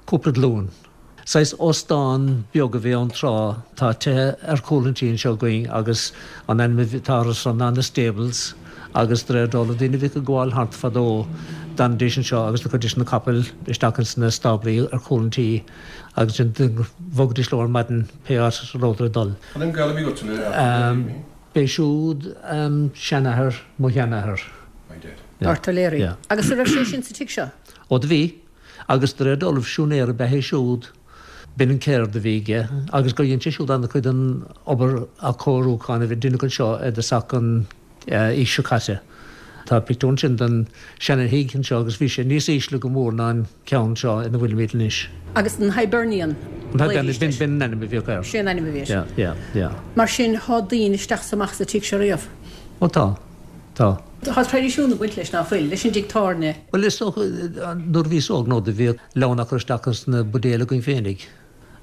[SPEAKER 4] Cúpla glúin. Saghas óstán beag a bhí ann tráth. Tá tithe ar chúl an tí anseo againn agus an ainm atá orthu san ná na Stables agus de réir dealraimh daoine a bhíodh ag gabháil thart fadó d'fhanaidís anseo agus do chuiridís na capaill isteach ins na stáblaí ar chúl an tí agus ansin do bhogaidís leo ar maidin pé áit a rabhadar ag dul.
[SPEAKER 5] Cad é an gaol a bhí agat le Arthur Leary?
[SPEAKER 4] B'é siúd seanathair mo sheanathar.
[SPEAKER 5] My dad.
[SPEAKER 1] Arthur Leary. Agus an raibh sé sin sa tigh seo?
[SPEAKER 4] Ó do bhí. Agus de réir dealraimh siúinéir ab ea é siúd. B'in an ceird a bhí aige agus gur dhein sé siúd an-chuid den obair athchóiriúcháin a bhí deineadh anseo i dtosach an aois seo caite. Tá pictiúr ansin den seana-thigh anseo agus bhí sé níos ísle go mór ná an ceann seo ina bhfuilimid anois.
[SPEAKER 1] Agus an Hibernian.
[SPEAKER 4] An Hibernian, b'in an ainm a bhíodh air.
[SPEAKER 1] Sé an ainm a bhí air.
[SPEAKER 4] Yeah, yeah, yeah.
[SPEAKER 1] Mar sin, thá daoine isteach 's amach sa tigh seo riamh?
[SPEAKER 4] Ó tá. Tá.
[SPEAKER 1] Tá traidisiún ag baint leis, ná fuil? Leis an dtigh tábhairne.
[SPEAKER 4] Bhuel, is dócha, nuair a bhíos óg, nó do bhíodh leann á chur isteach ins na buidéil againn féinig.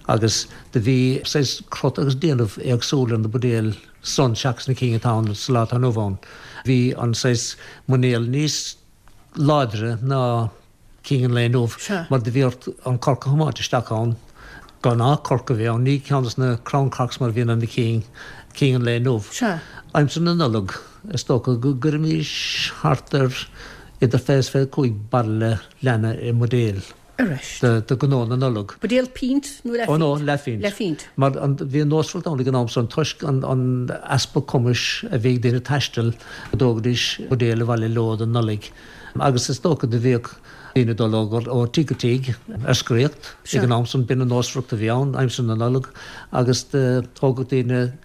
[SPEAKER 4] Agus do bhí saghas crot agus déanamh éagsúil ar na buidéil san seachas na cinn atá ann sa lá atá inniu ann. Bhí an saghas muinéal níos láidre ná cinn an lae inniu mar do bhí ort an corc a thiomáint isteach ann. Gnáth corc a bhí ann, ní ceann des na crown corks mar a bhíonn ar na cinn, cinn an lae inniu. Aimsir na Nollag, is dócha go gcuirimís thart ar idir 20 is 25 bairille leanna i mbuidéil. Do ghnó na Nollag.
[SPEAKER 1] Buidéal pínt nó leathphínt?
[SPEAKER 4] Ó no, leathphínt.
[SPEAKER 1] Leathphínt.
[SPEAKER 4] Mar an, bhí an nósmhaireacht ann ag an am san toisc an, an easpa cumais a bhí ag daoine taisteal go dtógaidís buidéal abhaile leo don Nollaig. Agus is dócha do bhíodh daoine ag dul ó, ó tigh go tigh ar scoraíocht ag an am san, b'in an nósmhaireacht a bhí ann aimsir na Nollag agus do thógadh daoine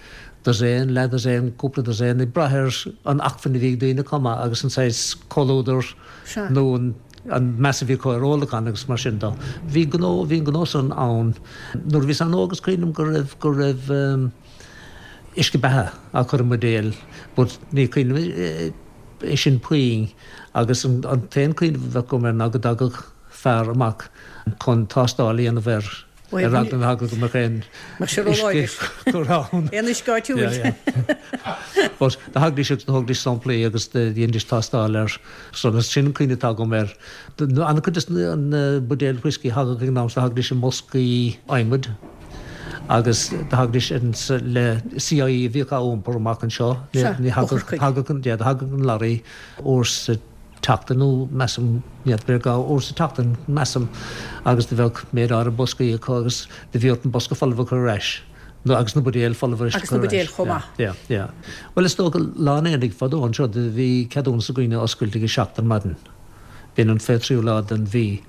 [SPEAKER 4] dosaen, leath-dhosaen, cúpla dosaen, ag brath ar an acmhainn a bhí ag daoine chomh maith agus an saghas comhluadar nó an an meas a bhí acu ar ólachán agus mar sin de. Bhí gnó, bhí an gnó san ann. Nuair a bhíos an-óg is cuimhin liom go raibh, go raibh uisce beatha á chur i mbuidéal but ní cuimhin liom é sin puinn agus an t-aon cuimhneamh a bheadh agam air ná go dtagadh fear amach chun tástáil a dhéanamh air. Ar eagla na heagla go mbeadh aon uisce curtha
[SPEAKER 1] ann. Aon uisce áitiúil.
[SPEAKER 4] But do thagaidís agus do thógaidís samplaí agus do dheinidís tástáil air. So sin an cuimhne atá agam air. An-chuid des na buidéil whiskey a thagadh ag an am so thagaidís i mboscaí adhmaid agus do thagaidís le CIE a bhíodh á iompar amach anseo.
[SPEAKER 1] Ní
[SPEAKER 4] thagadh, do thagadh an lorry uair sa tseachtain nó measaim, ní fheadar, b'fhéidir uair sa tseachtain, measaim, agus do bheadh méid áirithe boscaí acu agus do bhí ort an bosca folamh a chur ar ais, nó agus na buidéil folamh
[SPEAKER 1] a chur ar ais. Agus na buidéil chomh maith.
[SPEAKER 4] Yeah, yeah. Bhuel, is dócha, lá an aonaigh fadó anseo do bhí ceadúnas ag daoine oscailt ag a seacht ar maidin. B'in an 23ú lá den mhí.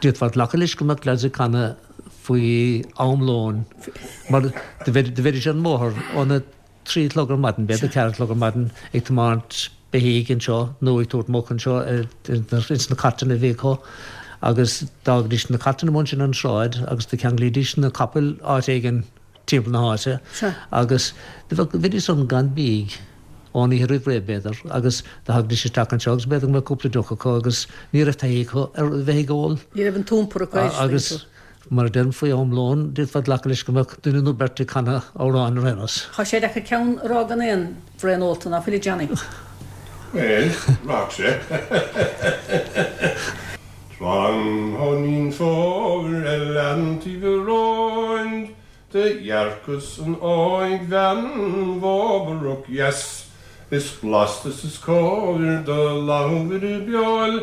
[SPEAKER 4] D'fhéadfá glacadh leis go mbeadh leaids ag canadh faoi am lóin mar do bheidís ar an mbóthar óna 3 a chlog ar maidin, b'fhéidir 4 a chlog ar maidin, ag tiomáint beithígh anseo nó ag tabhairt muc anseo ins na cairteanna a bhí acu agus d'fhágaidís na cairteanna amuigh ansin ar an sráid agus do cheanglaídís na capaill áit éigin timpeall na háite agus do bheadh, bheidís san gan bídh ón oíche roimh ré b'fhéidir agus do thagaidís isteach anseo agus b'fhéidir go mbeadh cúpla deoch acu agus ní raibh taithí acu ar bheith ag ól.
[SPEAKER 1] Ní raibh an t-iompar acu
[SPEAKER 4] agus. Mar a deirim, faoi am lóin, d'fhéadfá glacadh leis go mbeadh duine nó beirt ag canadh amhráin ar aon nós.
[SPEAKER 1] Tá sé deacair ceann a rá gan aon bhraon ólta, ná fuil a Johnny?
[SPEAKER 5] Bhuel, rachadh sé. Tráthnóinín fómhair ar leantaobh an róid do dhearcas an óigbhean bhóbarach dheas is blasta 's is cóir do labhair a beol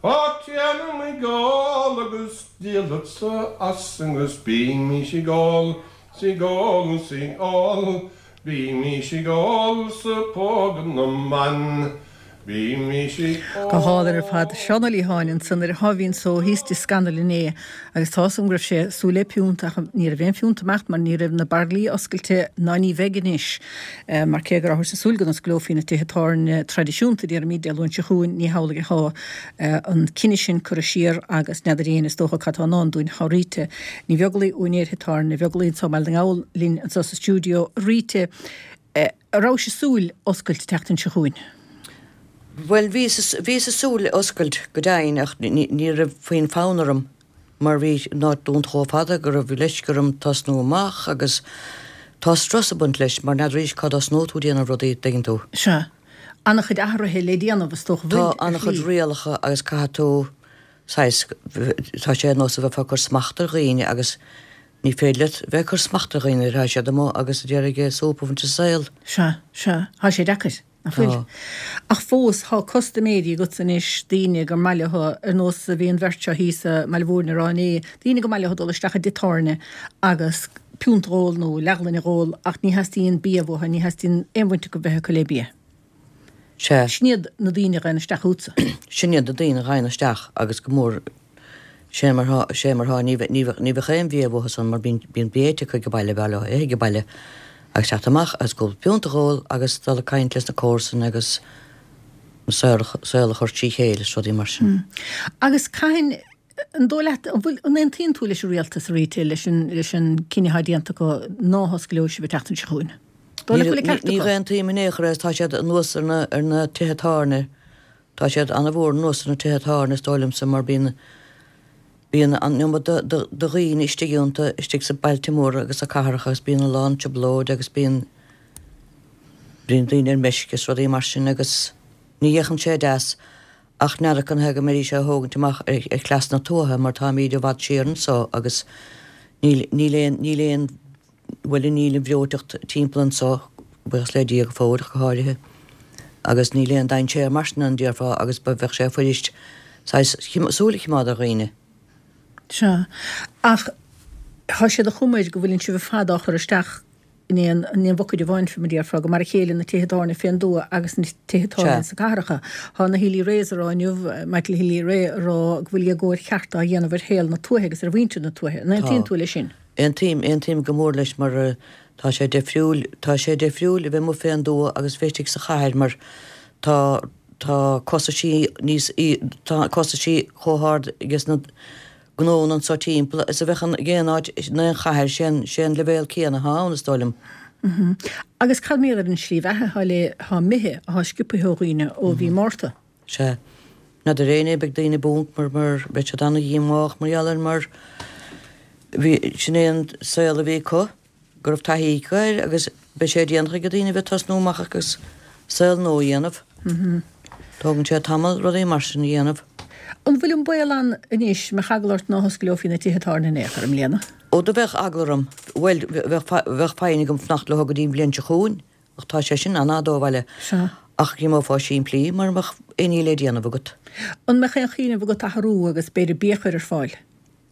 [SPEAKER 5] Á téanam ag ól agus díolfadsa as agus bímís ag ól 's ag ól 's ag ól, bímís ag ól 's ag pógadh na mban, bímís ag
[SPEAKER 1] Go hálainn ar fad. Seán Ó Liatháin ansan ar a sháimhín só thíos i dTigh Scannal inné agus tá 'fhios agam go raibh sé ag súil le piúnt ach ní raibh aon phiúnt ag imeacht mar ní raibh na bairillí oscailte ná ní bheidh anois. Mar cé go rabhthas ag súil go n-osclófaí na tithe tábhairne traidisiúnta, déarfaimid, Dé Luain seo chugainn, ní hamhlaidh atá an cinneadh sin curtha siar agus n'fheadar éinne is dócha cad tá i ndán dúinn. Tá Rita Ní Bheaglaoi, úinéir thigh tábhairne Bheaglaoi anseo i mBaile na nGall linn anseo sa stiúideo. Rita, an rabhais ag súil oscailt an tseachtain seo chugainn?
[SPEAKER 6] Bhuel, bhíos, bhíos ag súil oscailt go deimhin ach ní raibh puinn fonn orm. mar bhí an áit dúnta chomh fada go raibh leisce orm tosnú amach agus tá strus ag baint leis mar n'fheadaraís cá dtosnóidh tú ag déanamh rudaí, dtuigeann tú.
[SPEAKER 1] Sea. An-chuid athruithe le déanamh is dócha,
[SPEAKER 6] bhfuil, Tá an-chuid rialacha agus caithfidh tú saghas, tá sé ar nós a bheifeá ag cur smacht ar dhaoine agus ní féidir leat bheith ag cur smacht ar dhaoine nuair atá siad amuigh agus ag iarraidh súp a bhaint as an saol.
[SPEAKER 1] Sea, sea. Tá sé deacair. Nach bhfuil?
[SPEAKER 6] Tá.
[SPEAKER 1] Ach fós, thá custaiméirí agatsa anois, daoine gur maith leo, ar nós a bhí an bheirt seo thíos i mBaile Mhúirne a rá inné, daoine gur maith leo dul isteach i dtigh tábhairne agus piúnt dh'ól nó leathghloine dh'ól ach ní theastaíonn bia uathu, ní theastaíonn aon bhaint acu bheith acu le bia.
[SPEAKER 6] Sea.
[SPEAKER 1] Sin iad na daoine a ghabhann isteach chugatsa.
[SPEAKER 6] Sin iad na daoine a ghabhann isteach agus go mór, sé mar thá, sé mar thá, ní bheadh, ní bheadh, ní bheadh aon bhia uathu san mar bíonn, bíonn bia ite acu ag baile, b'fhearr leo ithe ag baile agus teacht amach agus cúpla piúnt a dh'ól agus dul ag caint leis na comharsana agus an saol, saol a chur trí chéile is rudaí mar sin.
[SPEAKER 1] Agus cathain, an dóigh leat, an bhfuil, an aontaíonn tú leis an rialtas, a Rita, leis an, leis an cinneadh atá déanta acu ná hosclóidh sibh an tseachtain seo chugainn? Dóigh leat go bhfuil an ceart
[SPEAKER 6] Ní
[SPEAKER 1] acu?
[SPEAKER 6] aontaím in aon chor é, tá siad anuas ar na, ar na tithe tábhairne. Tá siad an-mhór anuas ar na tithe tábhairne is dóigh liomsa mar bíonn. Bíonn an iomad de dhaoine istigh iontu, istigh sa bailte móra agus sa cathracha agus bíonn a lán trioblóid agus bíonn bíonn daoine ar meisce is rudaí mar sin agus ní fhéachann sé deas ach n'fheadar canathaobh go mbeidís á thógaint amach ar chleas na tuaithe mar táimíd i bhfad siar anso agus níl níl aon níl aon bhuel níl an bhreoiteacht timpeall anso buíochas le Dia go fóill ach go háirithe agus níl aon dainséar mar sin ann déarfá agus ba bheadh sé fuirist saghas súil a chimeád ar dhaoine.
[SPEAKER 1] Sea. Ach tá sé de chuma air go bhfuileann sibh ar fad á chur isteach in aon in aon bhucaeid amháin, fé mar a déarfá, gur mar a chéile na tithe tábhairne fén dtuath agus na tithe tábhairne sna cathracha. Tá na Healy-Raes a rá inniu, Michael Healy-Rae a rá go bhfuil éagóir cheart á dhéanamh ar shaol na tuaithe agus ar mhuintir na tuaithe. An aontaíonn tú leis sin?
[SPEAKER 6] Aontaím, aontaím go mór leis mar tá sé deifriúil, tá sé deifriúil a bheith amuigh fén dtuath agus bheith istigh sa chathair mar tá, tá costaisí níos, tá costaisí chomh hard ages na gnónna anso timpeall is a bheadh in aon áit in aon chathair, sé an, sé an leibhéal céanna atá ann is dóigh liom.
[SPEAKER 1] Agus cad mar gheall ar an slí bheatha atá le, atá imithe, atá sciobtha ó dhaoine ó mhí Márta?
[SPEAKER 6] Sea. N'fheadar éinne, beidh daoine bunk mar, mar, beidh siad ana-dhíomách mar gheall air mar bhí, sin é an saol a bhí acu. go raibh taithí acu air agus beidh sé déanach ag daoine a bheith ag tosnú amach agus saol nua a dhéanamh. Tógann sé tamall rudaí mar sin a dhéanamh.
[SPEAKER 1] An bhfuil an baol ann anois, mbeadh eagla ort ná hosclófaí na tithe tábhairne in aon chor i mbliana?
[SPEAKER 6] Ó do bheadh eagla orm. Bhuel, bheadh bheadh foighne agam fanacht leo go dtí an bhliain seo chugainn, ach tá sé sin an-fhada ó bhaile.
[SPEAKER 1] Sea.
[SPEAKER 6] Ach dh'imeofá simplí mura mbeadh aon ní le déanamh agat.
[SPEAKER 1] An mbeadh aon chuimhneamh agat athrú agus b'fhéidir bia a chur ar fáil?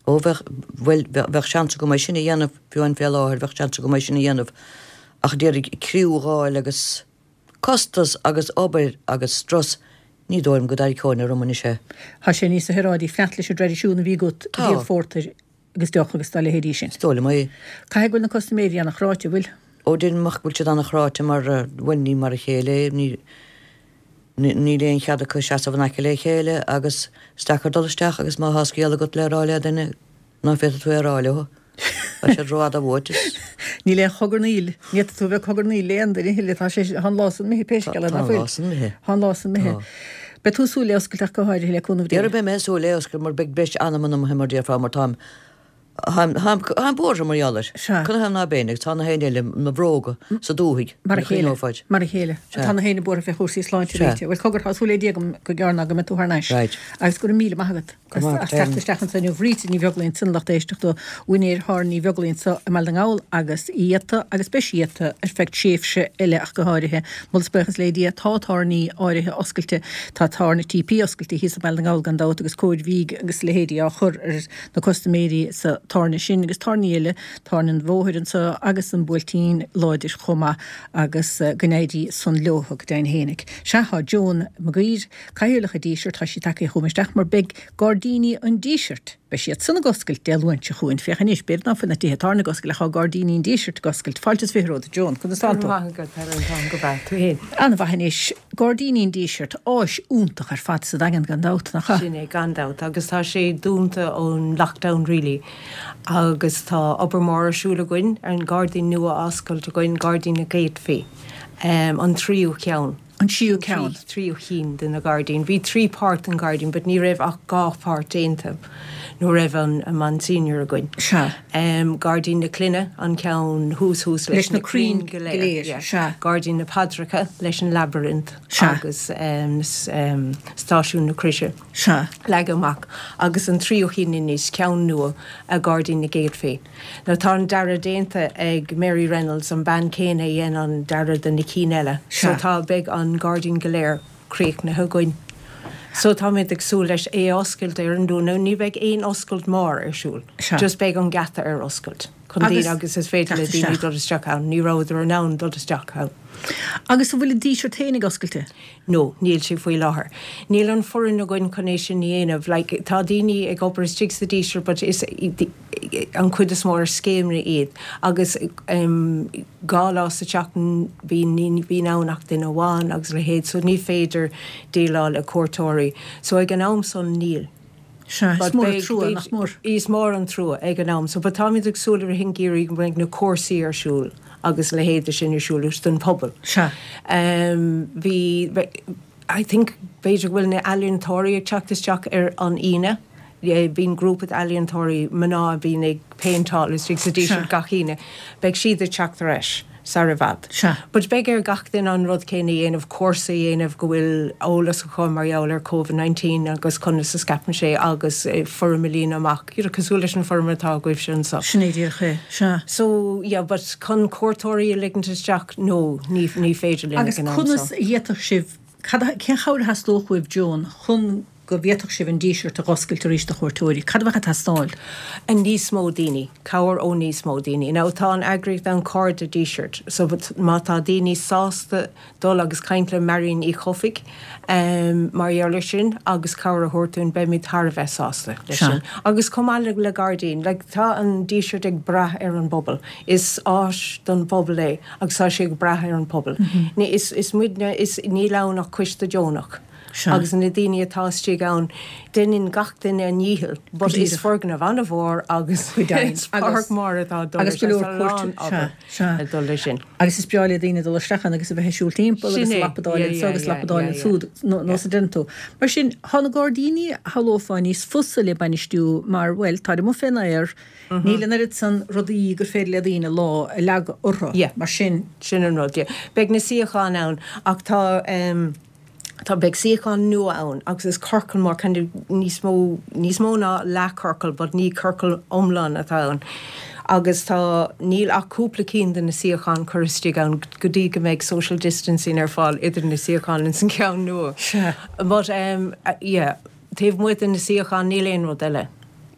[SPEAKER 6] Ó, bheadh, bhuel, bheadh seans agam é sin a dhéanamh, fiú amháin fé láthair, bheadh seans agam é sin a dhéanamh, ach d'iarraidh criú a dh'fháil agus costas agus obair agus strus, ní dóigh liom go dtarraiceoinn orm anois é.
[SPEAKER 1] Tá sé níos saoráidí fanacht leis an dtraidisiún a bhí agat,
[SPEAKER 6] Tá.
[SPEAKER 1] díol phórtair agus deoch agus dá leithéidí sin.
[SPEAKER 6] Is dóigh liom é.
[SPEAKER 1] Caithfidh go bhfuil na custaiméirí ana-chráite, an bhfuil?
[SPEAKER 6] Ó, deirim ach go bhfuil siad ana-chráite mar, bhuel, ní mar a chéile é, ní. Níl aon chead acu seasamh in aice le chéile agus is deacair dul isteach agus má thá scéal agat le rá le duine ná féadfaidh tú é a rá leo. Tá siad rófhada uait is.
[SPEAKER 1] Níl aon chogarnaíl, ní fhéadfaidh tú a bheith ag cogarnaíl le aon duine a thuilleadh, tá sé, tá an lá san imithe pé scéal é,
[SPEAKER 6] ná
[SPEAKER 1] fuil?
[SPEAKER 6] Tá an lá san imithe.
[SPEAKER 1] Tá an lá san imithe.
[SPEAKER 6] Tá.
[SPEAKER 1] Beidh tú ag súil le oscailt ach go háirithe le cúnamh Dé.
[SPEAKER 6] Dhera beidh mé ag súil le oscailt mar beidh breis anama imithe mar déarfá mar táim Táim buartha mar gheall air.
[SPEAKER 1] Sea.
[SPEAKER 6] Canathaobh ná beinn agus tá na héinne eile 'na bhróga sa dúthaigh.
[SPEAKER 1] Mar a chéile.
[SPEAKER 6] Cuimhneofad.
[SPEAKER 1] Mar a chéile.
[SPEAKER 6] Sea.
[SPEAKER 1] Tá na héinne buartha fé chúrsaí sláinte
[SPEAKER 6] Sea.
[SPEAKER 1] Rita. Bhuel, cogar, tá súil le Dia agam go gearr ná go mbeidh tú thar n-ais.
[SPEAKER 6] Right.
[SPEAKER 1] Agus go raibh míle maith agat
[SPEAKER 6] Go maith
[SPEAKER 1] as teacht isteach anso inniu. Rita Ní Bheaglaoí ansin lucht éisteachta, úinéir Thábhairne Uí Bheaglaoí anso i mBaile na nGall agus iata agus beidh sí iata ar feadh tréimhse eile ach go háirithe. Moladh is buíochas le Dia tá tábhairní áirithe oscailte. Tá tábhairne TP oscailte thíos i mBaile na nGall gan dabht agus cóir bhídh agus leithéidí á chur ar na custaiméirí sa tábhairne sin agus tábhairní eile, tábhairne an Bhóthair anseo agus an Buailtín Láidir chomh maith agus go n-éirí san leo go deimhin fhéinig. Sea, tá Joan Maguire, Cathaoirleach an Dísirt, tá sí tagtha chugam isteach mar beidh Gairdíní an Dísirt, beidh siad san ag oscailt Dé Luain seo chugainn, féach anois, b'fhéidir ná fuil na tithe tábhairne ag oscailt ach tá Gairdíní an Dísirt ag oscailt. Fáilte is 20 romhat, a Joan, conas tánn tú?
[SPEAKER 7] Go raibh maith agat, Helen, táim go breá, tú fhéin?
[SPEAKER 1] An-mhaith anois. Gairdíní an Dísirt, áis iontach ar fad sa Daingean gan dabht, nach ea?
[SPEAKER 7] Sin é, gan dabht, agus tá sé dúnta ón lockdown really agus tá obair mhór ar siúl againn ar an gairdín nua a oscailt againn, Gairdín na gCéadfaí, an tríú ceann.
[SPEAKER 1] An tríú ceann.
[SPEAKER 7] Tríú cinn de na gairdín. Bhí trí páirt den ghairdín but ní raibh ach dhá pháirt déanta nuair raibh an Monsignor againn.
[SPEAKER 1] Sea.
[SPEAKER 7] Gairdín na Clainne, an ceann thuas thuas
[SPEAKER 1] leis na crainn go léir.
[SPEAKER 7] Sea. Gairdín na Paidreacha leis an labyrinth agus Stáisiún na Croise.
[SPEAKER 1] Sea.
[SPEAKER 7] Leagtha amach. Agus an tríú cinn anois, ceann nua, Gairdín na gCéadfaí. Now tá an dearadh déanta ag Mary Reynolds, an bean céanna a dhein an dearadh do na cinn eile.
[SPEAKER 1] Sea.
[SPEAKER 7] So tá, beidh an gairdín go léir críochnaithe againn. So táimid ag súil leis é a oscailt ar an Luan. Now ní bheidh aon oscailt mór ar siúl.
[SPEAKER 1] Sea.
[SPEAKER 7] Just beidh an geata ar oscailt chun daoine agus is féidir le
[SPEAKER 1] teacht
[SPEAKER 7] daoine
[SPEAKER 1] isteach.
[SPEAKER 7] dul isteach ann. Ní rabhadar in ann dul isteach ann.
[SPEAKER 1] Agus an bhfuil an Díseart féin ag oscailte?
[SPEAKER 7] No, níl sé faoi láthair. Níl an foireann againn chun é sin a dhéanamh. Like, tá daoine ag obair istigh sa Díseart but is an chuid is mó ar scéimeanna iad agus dhá lá sa tseachtain bíonn, ní bhíonn ann ach duine amháin agus a leithéid so ní féidir déileáil le cuairteoirí. So ag an am san níl.
[SPEAKER 1] Sea, is mór an trua, nach mór?
[SPEAKER 7] Is mór an trua ag an am so but táimid ag súil i rith an gheimhridh go mbeidh na cúrsaí ar siúl agus a leithéid de sin ar siúl don phobal.
[SPEAKER 1] Sea.
[SPEAKER 7] Bhí, I think, b'fhéidir go bhfuil na ealaíontóirí ag teacht isteach ar an Aoine. Bíonn grúpa d'ealaíontóirí mná a bhíonn ag péinteáil istigh sa Díseart gach Aoine. Beidh siad ag teacht ar ais sar i bhfad. But beidh ar gach duine an rud céanna a dhéanamh, cúrsa a dhéanamh go bhfuil eolas acu mar gheall ar Covid 19 agus conas a scaipeann sé agus foirm a líonadh amach, you know, cosúil leis an foirm atá agaibhse anseo.
[SPEAKER 1] Sin é díreach é, sea.
[SPEAKER 7] So, yeah, but chun cuairteoirí a ligint isteach, no, ní, ní féidir linn
[SPEAKER 1] Agus
[SPEAKER 7] ag an am
[SPEAKER 1] conas
[SPEAKER 7] seo.
[SPEAKER 1] a d'fhéadfadh sibh, cad a, cén chabhair a theastódh uaibh, Joan, chun go bhféadfadh sibh an Díseart a dh'oscailt arís do chuairteoirí? Cad a bheadh ag teastáil?
[SPEAKER 7] Níos mó daoine. Cabhair ó níos mó daoine. Now tá an eagraíocht ann Cairde Dísirt so má tá daoine sásta dul agus caint le Marion Uí Chofaigh mar gheall ar sin agus cabhair a thabhairt dúinn beimid thar a bheith sásta leis sin. Agus chomh maith le gairdín, like tá an Díseart ag brath ar an bpobal. Is áis don phobal é agus tá sé ag brath ar an pobal. Ní, is, is muidne, is, níl ann ach coiste deonach.
[SPEAKER 1] Sea.
[SPEAKER 7] Agus na daoine atá istigh ann, deineann gach duine a ndícheall, but
[SPEAKER 1] Go
[SPEAKER 7] is
[SPEAKER 1] díreach.
[SPEAKER 7] foirgneamh an-mhór agus
[SPEAKER 1] Go deimhin.
[SPEAKER 7] is páirc
[SPEAKER 1] Agus,
[SPEAKER 7] mhór atá ag dul
[SPEAKER 1] agus
[SPEAKER 7] leis
[SPEAKER 1] go
[SPEAKER 7] sin,
[SPEAKER 1] leor
[SPEAKER 7] tá a
[SPEAKER 1] cuairt,
[SPEAKER 7] lán
[SPEAKER 1] sea,
[SPEAKER 7] obair
[SPEAKER 1] sea.
[SPEAKER 7] ag dul leis sin.
[SPEAKER 1] Agus is breá le daoine dul isteach ann agus a bheith ag siúl timpeall
[SPEAKER 7] Sin
[SPEAKER 1] agus
[SPEAKER 7] é,
[SPEAKER 1] lapadáil
[SPEAKER 7] yeah,
[SPEAKER 1] anso
[SPEAKER 7] yeah,
[SPEAKER 1] agus
[SPEAKER 7] yeah,
[SPEAKER 1] lapadáil
[SPEAKER 7] yeah, yeah.
[SPEAKER 1] ansúd, nó
[SPEAKER 7] Yeah.
[SPEAKER 1] nós a deireann tú. Mar sin, tá na gairdíní, shamhlófá, níos fusa le bainistiú mar, bhuel, táid amuigh fén aer, níl an oiread san rudaí gur féidir le daoine lámh a leagadh orthu.
[SPEAKER 7] Yeah.
[SPEAKER 1] Mar sin.
[SPEAKER 7] Sin an rud, yeah. Beidh na suíocháin ann ach tá, em, Tá, beidh suíochán nua ann agus is ciorcal mór, kind of níos mó, níos mó ná leathchiorcal but ní ciorcal iomlán atá ann. Agus tá, níl ach cúpla cinn de na suíocháin curtha istigh ann go dtí go mbeidh social distancing ar fáil idir na suíocháin ins an cheann nua.
[SPEAKER 1] Sea.
[SPEAKER 7] But um, yeah, taobh amuigh de na suíocháin níl aon rud eile,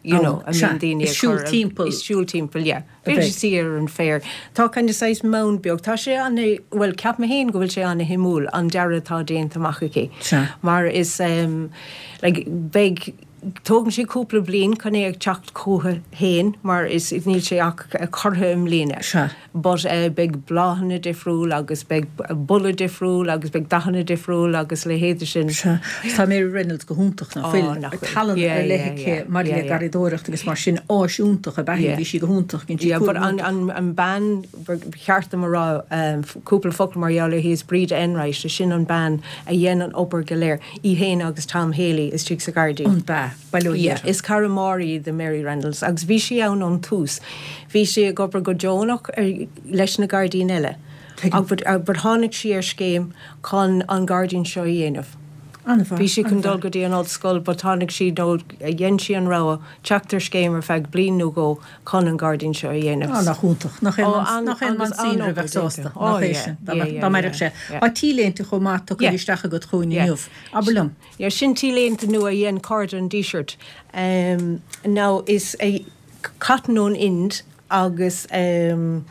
[SPEAKER 7] you know, a
[SPEAKER 1] Sea,
[SPEAKER 7] mbíonn daoine
[SPEAKER 1] is
[SPEAKER 7] ag
[SPEAKER 1] siúl
[SPEAKER 7] cur,
[SPEAKER 1] timpeall.
[SPEAKER 7] is siúl timpeall, yeah.
[SPEAKER 1] a bheidh.
[SPEAKER 7] Suí ar an bhféar. Tá kind of saghas mound beag. Tá sé ana, bhuel, ceapaim féin go bhfuil sé ana shuimiúil, an dearadh atá déanta amach aici.
[SPEAKER 1] Sea.
[SPEAKER 7] Mar is em, like, beidh, tógann sé cúpla bliain chun é ag teacht chucu féin mar is, níl sé ach curtha i mbliana.
[SPEAKER 1] Sea.
[SPEAKER 7] But eh, beidh bláthanna difriúil agus beidh boladh difriúil agus beidh dathanna difriúil agus leithéide sin.
[SPEAKER 1] Sea. Tá Mary Reynolds go hiontach, nach
[SPEAKER 7] Ó,
[SPEAKER 1] bhfuil?
[SPEAKER 7] nach bhfuil.
[SPEAKER 1] Tallann
[SPEAKER 7] Yeah,
[SPEAKER 1] ar leith
[SPEAKER 7] yeah,
[SPEAKER 1] aici
[SPEAKER 7] yeah.
[SPEAKER 1] maidir
[SPEAKER 7] Yeah,
[SPEAKER 1] le
[SPEAKER 7] yeah.
[SPEAKER 1] garraíodóireacht agus mar sin, áis iontach ab ea í,
[SPEAKER 7] Yeah.
[SPEAKER 1] bhí sí go hiontach, dhein sí
[SPEAKER 7] Yeah, but
[SPEAKER 1] cúram
[SPEAKER 7] an,
[SPEAKER 1] iontach.
[SPEAKER 7] an, an bean, ba cheart dom a rá um, cúpla focal mar gheall uirthi is Bríd Enright, sin an bean a dhein an obair go léir, í féin agus Tom Haley istigh sa ghairdín.
[SPEAKER 1] An bea, bail ó Dhia
[SPEAKER 7] Yeah,
[SPEAKER 1] uirthi.
[SPEAKER 7] is cara mór í do Mary Reynolds agus bhí sí ann ón tús. Bhí sí ag obair go deonach ar, leis na gairdín eile.
[SPEAKER 1] Tuigim.
[SPEAKER 7] Ach but, but tháinig sí ar scéim chun an gairdín seo a dhéanamh.
[SPEAKER 1] An-mhaith,
[SPEAKER 7] Bhí sí chun dul
[SPEAKER 1] an-mhaith.
[SPEAKER 7] go dtí an ollscoil but tháinig sí nó dhein sí an rogha teacht ar scéim ar feadh bliain nó dhó chun an gairdín seo a dhéanamh.
[SPEAKER 1] Á, nach iontach. Nach
[SPEAKER 7] Ó,
[SPEAKER 1] aon
[SPEAKER 7] an,
[SPEAKER 1] nach aon
[SPEAKER 7] agus
[SPEAKER 1] Monsignor a
[SPEAKER 7] an-obair
[SPEAKER 1] bheadh sásta,
[SPEAKER 7] déanta.
[SPEAKER 1] nach
[SPEAKER 7] Ó
[SPEAKER 1] é
[SPEAKER 7] yeah,
[SPEAKER 1] sin, dá
[SPEAKER 7] yeah,
[SPEAKER 1] mbeadh,
[SPEAKER 7] yeah,
[SPEAKER 1] dá mbeadh
[SPEAKER 7] yeah,
[SPEAKER 1] sé.
[SPEAKER 7] yeah.
[SPEAKER 1] Tá t-léinte chomh maith tugtha
[SPEAKER 7] Yeah.
[SPEAKER 1] isteach agat chugainn
[SPEAKER 7] Yeah.
[SPEAKER 1] inniu. Abair liom.
[SPEAKER 7] Yeah, sin t-léinte nua a dhein Cairde an Dísirt. Um, now is é cotton ón Ind agus um,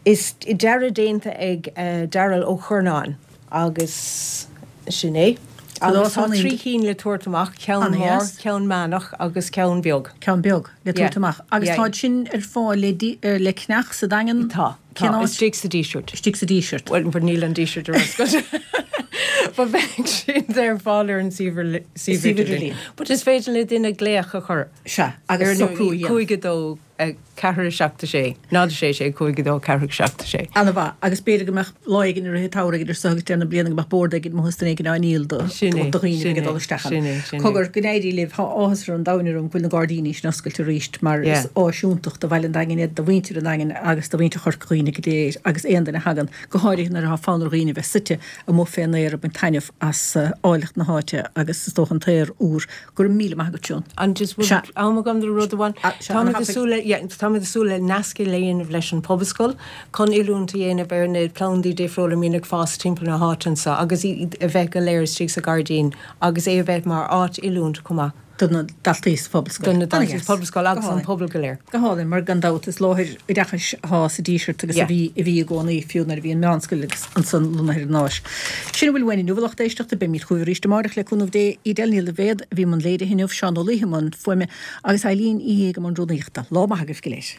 [SPEAKER 7] is dearadh déanta ag uh, Darrell Ó Curnáin agus sin é. Agus tá 3 cinn le tabhairt amach, ceann mór, ceann meánach agus ceann beag.
[SPEAKER 1] Ceann beag le tabhairt amach. Agus táid sin ar fáil le le ceannach sa Daingean?
[SPEAKER 7] Tá.
[SPEAKER 1] Cén
[SPEAKER 7] Tá.
[SPEAKER 1] áit?
[SPEAKER 7] Istigh sa Díseart.
[SPEAKER 1] Istigh sa Díseart.
[SPEAKER 7] Bhuel, but níl an Díseart ar oscailt. But beidh siad ar fáil ar an suíomh
[SPEAKER 1] Suíomh
[SPEAKER 7] idirlín.
[SPEAKER 1] idirlín.
[SPEAKER 7] But is féidir le duine glaoch a chur.
[SPEAKER 1] Sea, agus socrú a dhéanamh.
[SPEAKER 7] 5 2 4 7 6 0 6 6 5 2 4 7 6.
[SPEAKER 1] Ana-mhaith. Agus b'fhéidir go mbeadh lá éigin i rith an tsamhraidh idir seo agus deireadh na bliana go mbeadh bord éigin amuigh is duine éigin á ndíol do
[SPEAKER 7] Sin é,
[SPEAKER 1] do dhaoine a
[SPEAKER 7] sin
[SPEAKER 1] bheidh ag
[SPEAKER 7] é,
[SPEAKER 1] dul isteach ann.
[SPEAKER 7] sin é, sin é.
[SPEAKER 1] Cogar, go n-éirí libh. Tá áthas ar an domhan orm go bhfuil na gairdíní sin oscailte arís mar
[SPEAKER 7] Yeah.
[SPEAKER 1] is áis iontach do bhaile an Daingin iad, do mhuintir an Daingin agus do mhuintir Chorca Dhuibhne go léir agus aon duine a thagann, go háirithe nuair atá fonn ar dhaoine bheith suite amuigh fén aer ag baint taitneamh as áilleacht na háite agus is dócha an t-aer úr. Go raibh míle maith agat, Joan.
[SPEAKER 7] An just
[SPEAKER 1] Sea.
[SPEAKER 7] bhfuil am agam do rud amháin?
[SPEAKER 1] Ah, sea,
[SPEAKER 7] Táimid
[SPEAKER 1] an
[SPEAKER 7] ag súil le, yeah, táimid ag súil le nasc a dhéanamh leis an Pobalscoil chun oiliúint a dhéanamh ar na plandaí difriúla a mbíonn ag fás timpeall na háite anseo agus iad a bheith go léir istigh sa ghairdín agus é a bheith mar áit oiliúint chomh maith.
[SPEAKER 1] do na daltaí sa Phobalscoil.
[SPEAKER 7] Do na daltaí
[SPEAKER 1] An-dheas.
[SPEAKER 7] sa Phobalscoil
[SPEAKER 1] Go
[SPEAKER 7] agus an
[SPEAKER 1] hálainn.
[SPEAKER 7] pobal go léir.
[SPEAKER 1] Go hálainn, mar gan dabht is láthair oideachais atá sa Díseart agus a
[SPEAKER 7] Yeah.
[SPEAKER 1] bhí a bhí i gcónaí, fiú nuair a bhí an Meánscoil agus ansan lonnaithe ar an áis. Sin a bhfuil uainn inniu, a lucht éisteachta, beimid chugaibh arís amárach le cúnamh Dé. Edel Ní Loibhéad a bhí i mbun léirithe inniu, Seán Ó Laoithe i mbun fuaime agus Eileen Uí Shéaghdha i mbun rúnaíochta. Lá maith agaibh go léir.